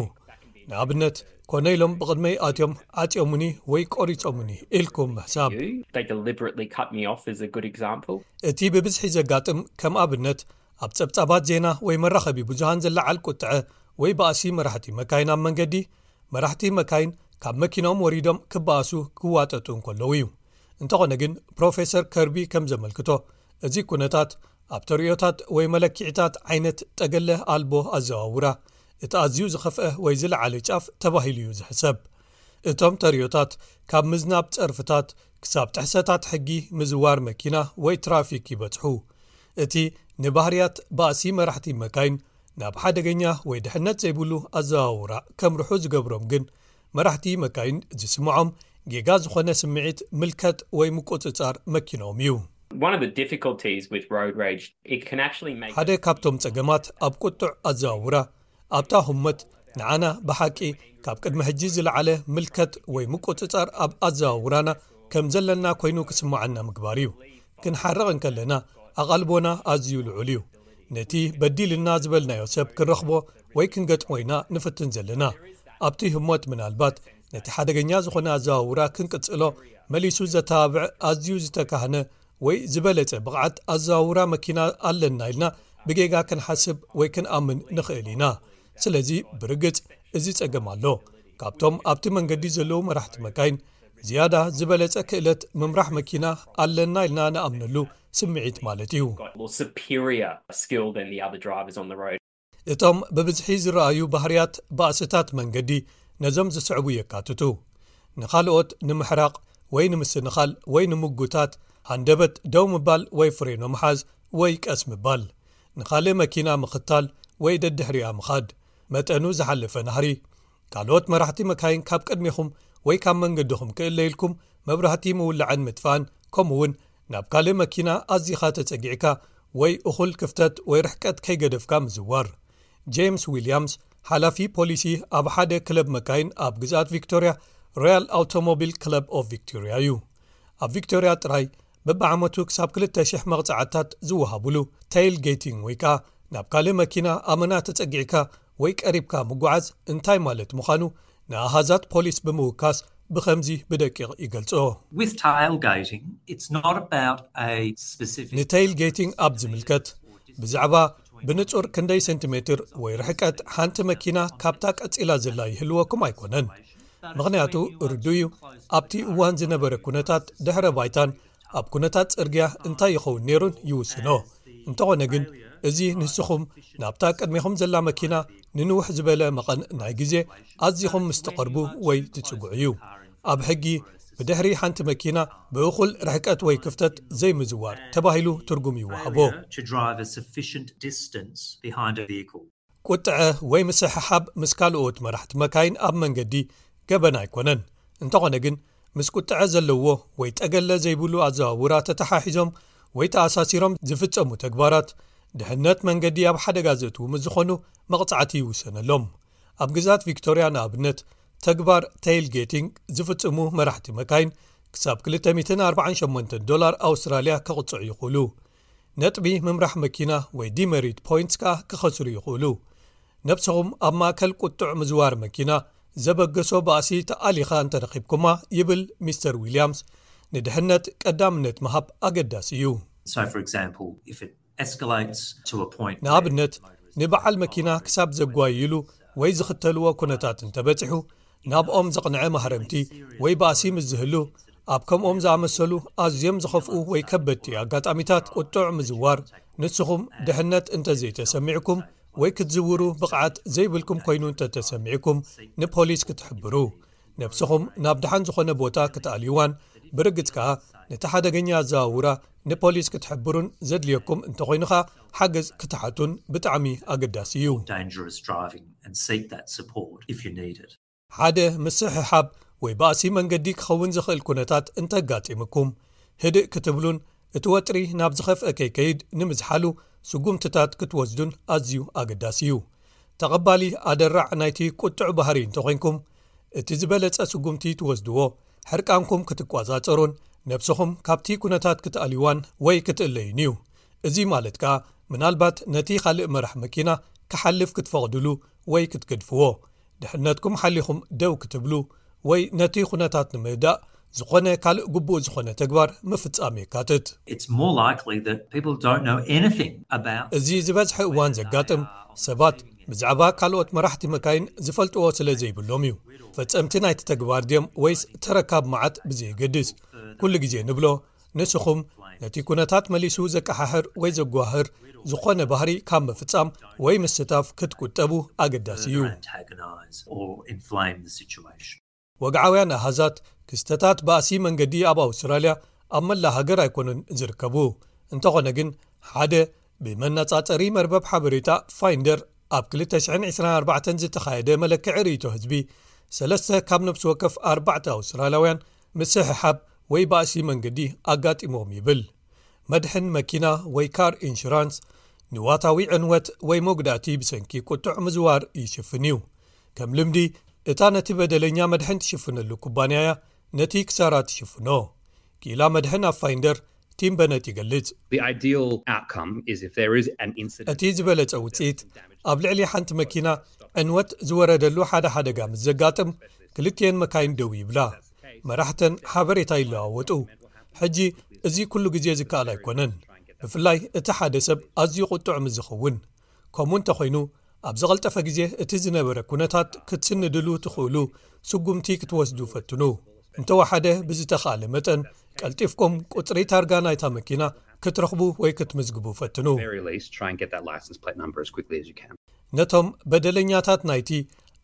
ንኣብነት፣ ኮነ ኢሎም ብቕድመይ ኣትዮም ዓጽዮሙኒ ወይ ቆሪጾሙኒ ኢልኩም ምሕሳብ። They deliberately cut me off is a good example. እቲ ብብዝሒ ዘጋጥም ከም ኣብነት ኣብ ጸብጻባት ዜና ወይ መራኸቢ ብዙሃን ዝለዓል ቁጥዐ ወይ ባእሲ መራሕቲ መካይን ኣብ መንገዲ፣ መራሕቲ መካይን ካብ መኪኖም ወሪዶም ክበኣሱ ክዋጠጡ እንከለዉ እዩ። እንተኾነ ግን ፕሮፌሰር ከርቢ ከም ዘመልክቶ፣ እዚ ኩነታት ኣብ ተርእዮታት ወይ መለኪዕታት ዓይነት ጠገለ ኣልቦ ኣዘዋውራ እቲ ኣዝዩ ዝኸፍአ ወይ ዝለዓለ ጫፍ ተባሂሉ እዩ ዝሕሰብ። እቶም ተርእዮታት ካብ ምዝናብ ጸርፍታት ክሳብ ጥሕሰታት ሕጊ ምዝዋር መኪና ወይ ትራፊክ ይበጽሑ። እቲ ንባህርያት ባእሲ መራሕቲ መካይን ናብ ሓደገኛ ወይ ድሕነት ዘይብሉ ኣዘዋውራ ከምርሑ ዝገብሮም ግን መራሕቲ መካይን ዝስምዖም ጌጋ ዝኾነ ስምዒት ምልከት ወይ ምቁጽጻር መኪኖም እዩ። One of the difficulties with road rage, it can actually make ሓደ ካብቶም ጸገማት ኣብ ቁጡዕ ኣዘዋውራ ኣብታ ህሞት ንዓና ብሓቂ ካብ ቅድሚ ሕጂ ዝለዓለ ምልከት ወይ ምቁጽጻር ኣብ ኣዘዋውራና ከም ዘለና ኮይኑ ክስምዓና ምግባር እዩ። ክንሓርቕ እንከለና ኣቓልቦና ኣዝዩ ልዑል እዩ። ነቲ በዲልና ዝበልናዮ ሰብ ክንረኽቦ ወይ ክንገጥሞ ኢና ንፍትን ዘለና። ኣብቲ ህሞት ምናልባት ነቲ ሓደገኛ ዝኾነ ኣዘዋውራ ክንቅጽሎ መሊሱ ዘተባብዕ ኣዝዩ ዝተካህነ ወይ ዝበለጸ ብቕዓት ኣዘዋውራ መኪና ኣለና ኢልና ብጌጋ ክንሓስብ ወይ ክንኣምን ንኽእል ኢና። ስለዚ ብርግጽ እዚ ጸገም ኣሎ። ካብቶም ኣብቲ መንገዲ ዘለዉ መራሕቲ መካይን ዝያዳ ዝበለጸ ክእለት ምምራሕ መኪና ኣለና ኢልና ንኣምነሉ ስምዒት ማለት እዩ። Got more superior skill than the other drivers on the road. እቶም ብብዝሒ ዝረኣዩ ባህርያት ባእስታት መንገዲ ነዞም ዝስዕቡ የካትቱ። ንኻልኦት ንምሕራቕ ወይ ንምስንኻል ወይ ንምጉታት፣ ሃንደበት ደው ምባል ወይ ፍሬኖ ምሓዝ ወይ ቀስ ምባል። ንኻልእ መኪና ምኽታል ወይ ደድሕሪኣ ምኻድ። መጠኑ ዝሓለፈ ናህሪ። ካልኦት መራሕቲ መካይን ካብ ቅድሜኹም ወይ ካብ መንገድኹም ክእለ ኢልኩም መብራህቲ ምውላዕን ምጥፋእን፣ ከምኡ እውን ናብ ካልእ መኪና ኣዚኻ ተጸጊዕካ ወይ እኹል ክፍተት ወይ ርሕቀት ከይገደፍካ ምዝዋር። ጄምስ ዊልያምስ፣ ሓላፊ ፖሊሲ ኣብ ሓደ ክለብ መካይን ኣብ ግዝኣት ቪክቶርያ፣ ሮያል ኣውቶሞቢል ክለብ ኦፍ ቪክቶርያ እዩ። ኣብ ቪክቶርያ ጥራይ በብዓመቱ ክሳብ ክልተ ሽሕ መቕጻዕትታት ዝወሃቡሉ ቴይል ጌቲንግ ወይ ከኣ ናብ ካልእ መኪና ኣመና ተጸጊዕካ ወይ ቀሪብካ ምጓዓዝ እንታይ ማለት ምዃኑ ንኣሃዛት ፖሊስ ብምውካስ ብኸምዚ ብደቂቕ ይገልጾ። With tailgating, it's not about a specific. ንቴይል ጌቲንግ ኣብ ዝምልከት፣ ብዛዕባ ብንጹር ክንደይ ሴንቲሜትር ወይ ርሕቀት ሓንቲ መኪና ካብታ ቀጺላ ዘላ ይህልወኩም ኣይኮነን። ምኽንያቱ ርዱእ እዩ፣ ኣብቲ እዋን ዝነበረ ኩነታት ድሕረ ባይታን ኣብ ኩነታት ጽርግያ እንታይ ይኸውን ነይሩን ይውስኖ። እንተኾነ ግን እዚ ንስኹም ናብታ ቅድሜኹም ዘላ መኪና ንንውሕ ዝበለ መቐን ናይ ግዜ ኣዚኹም ምስ ትቐርቡ ወይ ትጽግዑ እዩ። ኣብ ሕጊ ብድሕሪ ሓንቲ መኪና ብእኹል ርሕቀት ወይ ክፍተት ዘይምዝዋር ተባሂሉ ትርጉም ይወሃቦ። To drive a sufficient distance behind a vehicle. ቁጥዐ ወይ ምስሕሓብ ምስ ካልኦት መራሕቲ መካይን ኣብ መንገዲ ገበን ኣይኮነን። እንተኾነ ግን ምስ ቁጥዐ ዘለዎ ወይ ጠገለ ዘይብሉ ኣዘዋውራ ተተሓሒዞም ወይ ተኣሳሲሮም ዝፍጸሙ ተግባራት ድሕነት መንገዲ ኣብ ሓደጋ ዘእትዉ ምስ ዝኾኑ መቕጻዕቲ ይውሰነሎም። ኣብ ግዛት ቪክቶርያ ንኣብነት ተግባር ቴይል ጌቲንግ ዝፍጽሙ መራሕቲ መካይን ክሳብ ክልተ ሚእትን ኣርባዓን ሸሞንተን ዶላር ኣውስትራልያ ክቕጽዑ ይኽእሉ። ነጥቢ ምምራሕ መኪና ወይ ዲመሪት ፖይንትስ ከኣ ክኸስሩ ይኽእሉ። ነብስኹም ኣብ ማእከል ቁጡዕ ምዝዋር መኪና ዘበገሶ ባእሲ ተኣሊኻ እንተረኺብኩማ፣ ይብል ሚስተር ዊልያምስ፣ ንድሕነት ቀዳምነት ምሃብ ኣገዳሲ እዩ። So, for example, if it escalates to a point where ንኣብነት ንበዓል መኪና ክሳብ ዘጓይሉ ወይ ዝኽተልዎ ኩነታት እንተበጺሑ፣ ናብኦም ዘቕንዐ ማህረምቲ ወይ ባእሲ ምስ ዝህሉ፣ ኣብ ከምኦም ዝኣመሰሉ ኣዝዮም ዝኸፍኡ ወይ ከበድቲ ኣጋጣሚታት ቁጡዕ ምዝዋር፣ ንስኹም ድሕነት እንተዘይተሰሚዕኩም ወይ ክትዝውሩ ብቕዓት ዘይብልኩም ኮይኑ እንተተሰሚዕኩም፣ ንፖሊስ ክትሕብሩ፣ ነብስኹም ናብ ደሓን ዝኾነ ቦታ ክትኣልይዋን ብርግጽ ከኣ ነቲ ሓደገኛ ኣዘዋውራ ንፖሊስ ክትሕብሩን ዘድልየኩም እንተኾይኑ ከኣ ሓገዝ ክትሓቱን ብጣዕሚ ኣገዳሲ እዩ። Dangerous driving and seek that support if you need it. ሓደ ምስሕሓብ ወይ ባእሲ መንገዲ ክኸውን ዝኽእል ኩነታት እንተጋጢምኩም፣ ህድእ ክትብሉን እቲ ወጥሪ ናብ ዝኸፍአ ከይከይድ ንምዝሓሉ ስጉምትታት ክትወስዱን ኣዝዩ ኣገዳሲ እዩ። ተቐባሊ ኣደራዕ ናይቲ ቁጡዕ ባህሪ እንተኾይንኩም፣ እቲ ዝበለጸ ስጉምቲ ትወስድዎ ሕርቃንኩም ክትቋጻጸሩን ነብስኹም ካብቲ ኩነታት ክትኣልይዋን ወይ ክትእለዩን እዩ። እዚ ማለት ከኣ ምናልባት ነቲ ካልእ መራሕ መኪና ክሓልፍ ክትፈቕድሉ ወይ ክትገድፍዎ፣ ድሕነትኩም ሓሊኹም ደው ክትብሉ ወይ ነቲ ኩነታት ንምህዳእ ዝኾነ ካልእ ግቡእ ዝኾነ ተግባር ምፍጻም የካትት። It's more likely that people don't know anything about እዚ ዝበዝሐ እዋን ዘጋጥም ሰባት ብዛዕባ ካልኦት መራሕቲ መካይን ዝፈልጥዎ ስለ ዘይብሎም እዩ። ፈጸምቲ ናይቲ ተግባር ድዮም ወይስ ተረካብ መዓት ብዘየገድስ፣ ኩሉ ግዜ ንብሎ፣ ንስኹም ነቲ ኩነታት መሊሱ ዘቀሓሕር ወይ ዘጓህር ዝኾነ ባህሪ ካብ ምፍጻም ወይ ምስታፍ ክትቁጠቡ ኣገዳሲ እዩ። Antagonize or inflame the situation. ወግዓውያን ኣሃዛት ክስተታት ባእሲ መንገዲ ኣብ ኣውስትራልያ ኣብ መላ ሃገር ኣይኮኑን ዝርከቡ። እንተኾነ ግን ሓደ ብመነጻጸሪ መርበብ ሓበሬታ ፋይንደር ኣብ ክልተ ሽሕን ዕስራን ኣርባዕተን ዝተኻየደ መለክዒ ርእይቶ ህዝቢ፣ ሰለስተ ካብ ነፍሲ ወከፍ ኣርባዕተ ኣውስትራልያውያን ምስሕሓብ ወይ ባእሲ መንገዲ ኣጋጢሞም ይብል። መድሕን መኪና ወይ ካር ኢንሹራንስ ንዋታዊ ዕንወት ወይ መጉዳእቲ ብሰንኪ ቁጡዕ ምዝዋር ይሽፍን እዩ። ከም ልምዲ እታ ነቲ በደለኛ መድሕን ትሽፍነሉ ኩባንያ እያ ነቲ ክሳራ ትሽፍኖ። ክኢላ መድሕን ኣብ ፋይንደር ቲም በነት ይገልጽ። The ideal outcome is if there is an incident. እቲ ዝበለጸ ውጽኢት ኣብ ልዕሊ ሓንቲ መኪና ዕንወት ዝወረደሉ ሓደ ሓደጋ ምስ ዘጋጥም ክልቲኤን መካይን ደው ይብላ፣ መራሕተን ሓበሬታ ይለዋወጡ። ሕጂ እዚ ኩሉ ግዜ ዝከኣል ኣይኮነን። ብፍላይ እቲ ሓደ ሰብ ኣዝዩ ቁጡዕ ምስ ዝኸውን። ከምኡ እንተኾይኑ፣ ኣብ ዝቐልጠፈ ግዜ እቲ ዝነበረ ኩነታት ክትስንድሉ ትኽእሉ ስጉምቲ ክትወስዱ ፈትኑ። እንተወሓደ ብዝተኻእለ መጠን ቀልጢፍኩም ቁጽሪ ታርጋ ናይታ መኪና ክትረኽቡ ወይ ክትምዝግቡ ፈትኑ። Very least, try and get that license plate number as quickly as you can. ነቶም በደለኛታት ናይቲ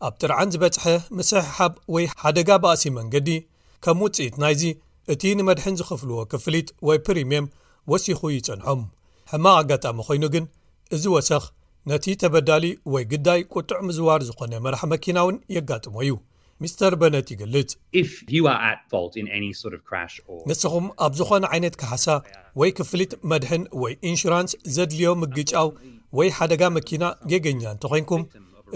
ኣብ ጥርዓን ዝበጽሐ ምስሕሓብ ወይ ሓደጋ ባእሲ መንገዲ፣ ከም ውጽኢት ናይዚ እቲ ንመድሕን ዝኸፍልዎ ክፍሊት ወይ ፕሪምየም ወሲኹ ይጸንሖም። ሕማቕ ኣጋጣሚ ኮይኑ ግን፣ እዚ ወሰኽ ነቲ ተበዳሊ ወይ ግዳይ ቁጡዕ ምዝዋር ዝኾነ መራሕ መኪና እውን የጋጥሞ እዩ። ሚስተር በነት ይገልጽ። If you are at fault in any sort of crash or ንስኹም ኣብ ዝኾነ ዓይነት ካሕሳ ወይ ክፍሊት መድሕን ወይ ኢንሹራንስ ዘድልዮ ምግጫው ወይ ሓደጋ መኪና ጌገኛ እንተኾይንኩም፣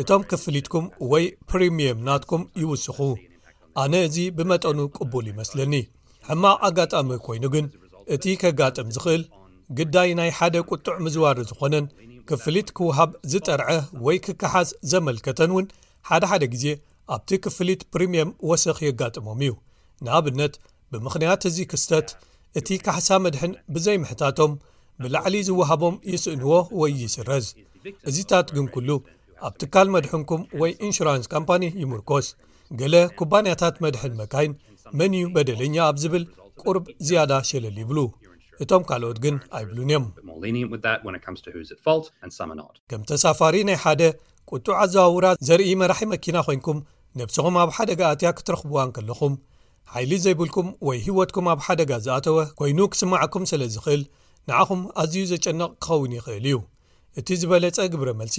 እቶም ክፍሊትኩም ወይ ፕሪምየም ናትኩም ይውስኹ። ኣነ እዚ ብመጠኑ ቅቡል ይመስለኒ። ሕማቕ ኣጋጣሚ ኮይኑ ግን፣ እቲ ከጋጥም ዝኽእል ግዳይ ናይ ሓደ ቁጡዕ ምዝዋር ዝኾነን ክፍሊት ክወሃብ ዝጠርዐ ወይ ክከሓስ ዘመልከተን እውን ሓደ ሓደ ግዜ ኣብቲ ክፍሊት ፕሪምየም ወሰኽ የጋጥሞም እዩ። ንኣብነት፣ ብምኽንያት እዚ ክስተት እቲ ካሕሳ መድሕን ብዘይምሕታቶም ብላዕሊ ዝወሃቦም ይስእንዎ ወይ ይስረዝ። እዚታት ግን ኩሉ ኣብ ትካል መድሕንኩም ወይ ኢንሹራንስ ካምፓኒ ይምርኮስ። ገለ ኩባንያታት መድሕን መካይን መን እዩ በደለኛ ኣብ ዝብል ቁርብ ዝያዳ ሸለል ይብሉ። እቶም ካልኦት ግን ኣይብሉን እዮም። More lenient with that when it comes to who's at fault, and some are not. ከም ተሳፋሪ ናይ ሓደ ቁጡዕ ኣዘዋውራ ዘርኢ መራሒ መኪና ኮይንኩም ነብስኹም ኣብ ሓደጋ ኣትያ ክትረኽብዋ እንከለኹም፣ ሓይሊ ዘይብልኩም ወይ ህይወትኩም ኣብ ሓደጋ ዝኣተወ ኮይኑ ክስማዓኩም ስለ ዝኽእል፣ ንዓኹም ኣዝዩ ዘጨንቕ ክኸውን ይኽእል እዩ። እቲ ዝበለጸ ግብረ መልሲ፣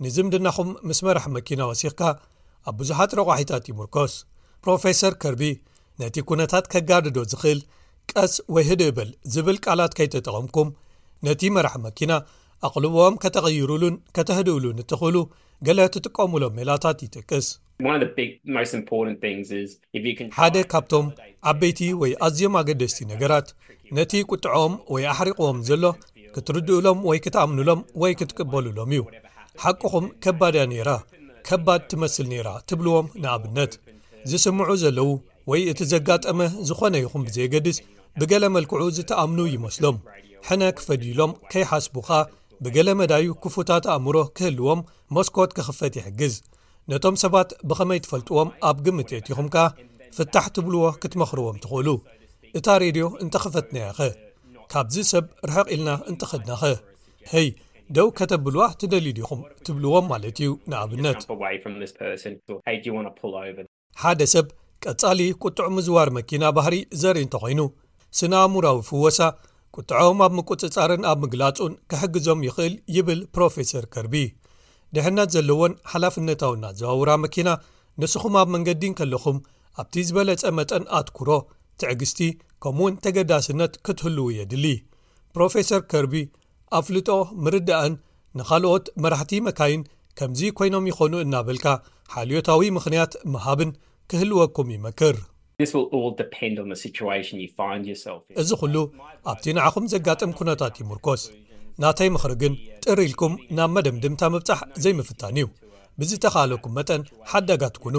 ንዝምድናኹም ምስ መራሕ መኪና ወሲኽካ ኣብ ብዙሓት ረቋሒታት ይምርኮስ። ፕሮፌሰር ከርቢ ነቲ ኩነታት ከጋድዶ ዝኽእል ቀስ ወይ ህድእ በል ዝብል ቃላት ከይተጠቐምኩም፣ ነቲ መራሕ መኪና ኣቕልቦኦም ከተቐይሩሉን ከተህድኡሉን እትኽእሉ ገለ ትጥቀሙሎም ሜላታት ይጠቅስ። One of the big, most important things is if you can ሓደ ካብቶም ዓበይቲ ወይ ኣዝዮም ኣገደስቲ ነገራት፣ ነቲ ቁጥዖም ወይ ኣሕሪቕዎም ዘሎ ክትርድኡሎም ወይ ክትኣምኑሎም ወይ ክትቅበሉሎም እዩ። ሓቅኹም፣ ከባድ እያ ነይራ፣ ከባድ ትመስል ነይራ ትብልዎም። ንኣብነት፣ ዝስምዑ ዘለዉ ወይ እቲ ዘጋጠመ ዝኾነ ይኹን ብዘየገድስ፣ ብገለ መልክዑ ዝተኣምኑ ይመስሎም። ሕነ ክፈድዩሎም ከይሓስቡ ኸኣ፣ ብገለ መዳዩ ክፉታት ኣእምሮ ክህልዎም መስኮት ክኽፈት ይሕግዝ። ነቶም ሰባት ብኸመይ ትፈልጥዎም ኣብ ግምት የእቲኹም ከኣ፣ ፍታሕ ትብልዎ ክትመኽርዎም ትኽእሉ። እታ ሬድዮ እንተኸፈትናያ ኸ? ካብዚ ሰብ ርሕቕ ኢልና እንተኸድና ኸ? ሄይ፣ ደው ከተብልዋ ትደልዩ ዲኹም? ትብልዎም ማለት እዩ። ንኣብነት፣ jump away from this person. Or, hey, do you want to pull over? ሓደ ሰብ ቀጻሊ ቁጥዕ ምዝዋር መኪና ባህሪ ዘርኢ እንተኾይኑ፣ ስነ ኣእምራዊ ፍወሳ ቁጥዖም ኣብ ምቁጽጻርን ኣብ ምግላጹን ክሕግዞም ይኽእል ይብል ፕሮፌሰር ከርቢ። ድሕነት ዘለዎን ሓላፍነታውን ኣዘዋውራ መኪና፣ ንስኹም ኣብ መንገዲ እንከለኹም ኣብቲ ዝበለጸ መጠን ኣትኩሮ፣ ትዕግስቲ፣ ከምኡውን ተገዳስነት ክትህልዉ የድሊ። ፕሮፌሰር ከርቢ ኣፍልጦ ምርዳእን ንኻልኦት መራሕቲ መካይን ከምዚ ኮይኖም ይኾኑ እናበልካ ሓልዮታዊ ምኽንያት ምሃብን ክህልወኩም ይመክር። This will all depend on the situation you find yourself in. እዚ ኩሉ ኣብቲ ንዓኹም ዘጋጥም ኩነታት ይምርኮስ። ናተይ ምኽሪ ግን ጥር ኢልኩም ናብ መደምድምታ ምብጻሕ ዘይምፍታን እዩ። ብዝተኻእለኩም መጠን ሓዳጋት ኩኑ።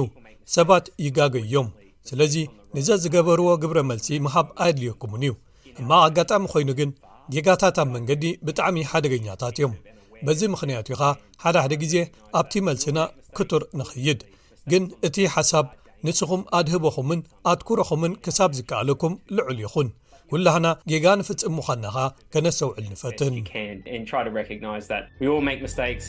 ሰባት ይጋገዩ እዮም። ስለዚ ንዘዝገበርዎ ግብረ መልሲ ምሃብ ኣየድልየኩምን እዩ። ሕማቕ ኣጋጣሚ ኮይኑ ግን ጌጋታት ኣብ መንገዲ ብጣዕሚ ሓደገኛታት እዮም። በዚ ምኽንያት እዩ ኸኣ ሓደ ሓደ ግዜ ኣብቲ መልስና ክቱር ንኸይድ። ግን እቲ ሓሳብ ንስኹም ኣድህቦኹምን ኣትኩሮኹምን ክሳብ ዝከኣለኩም ልዑል ይኹን። ኩላህና ጌጋ ንፍጽም ምዃንና ኸኣ ከነስተውዕል ንፈትን። You can and try to recognize that we all make mistakes.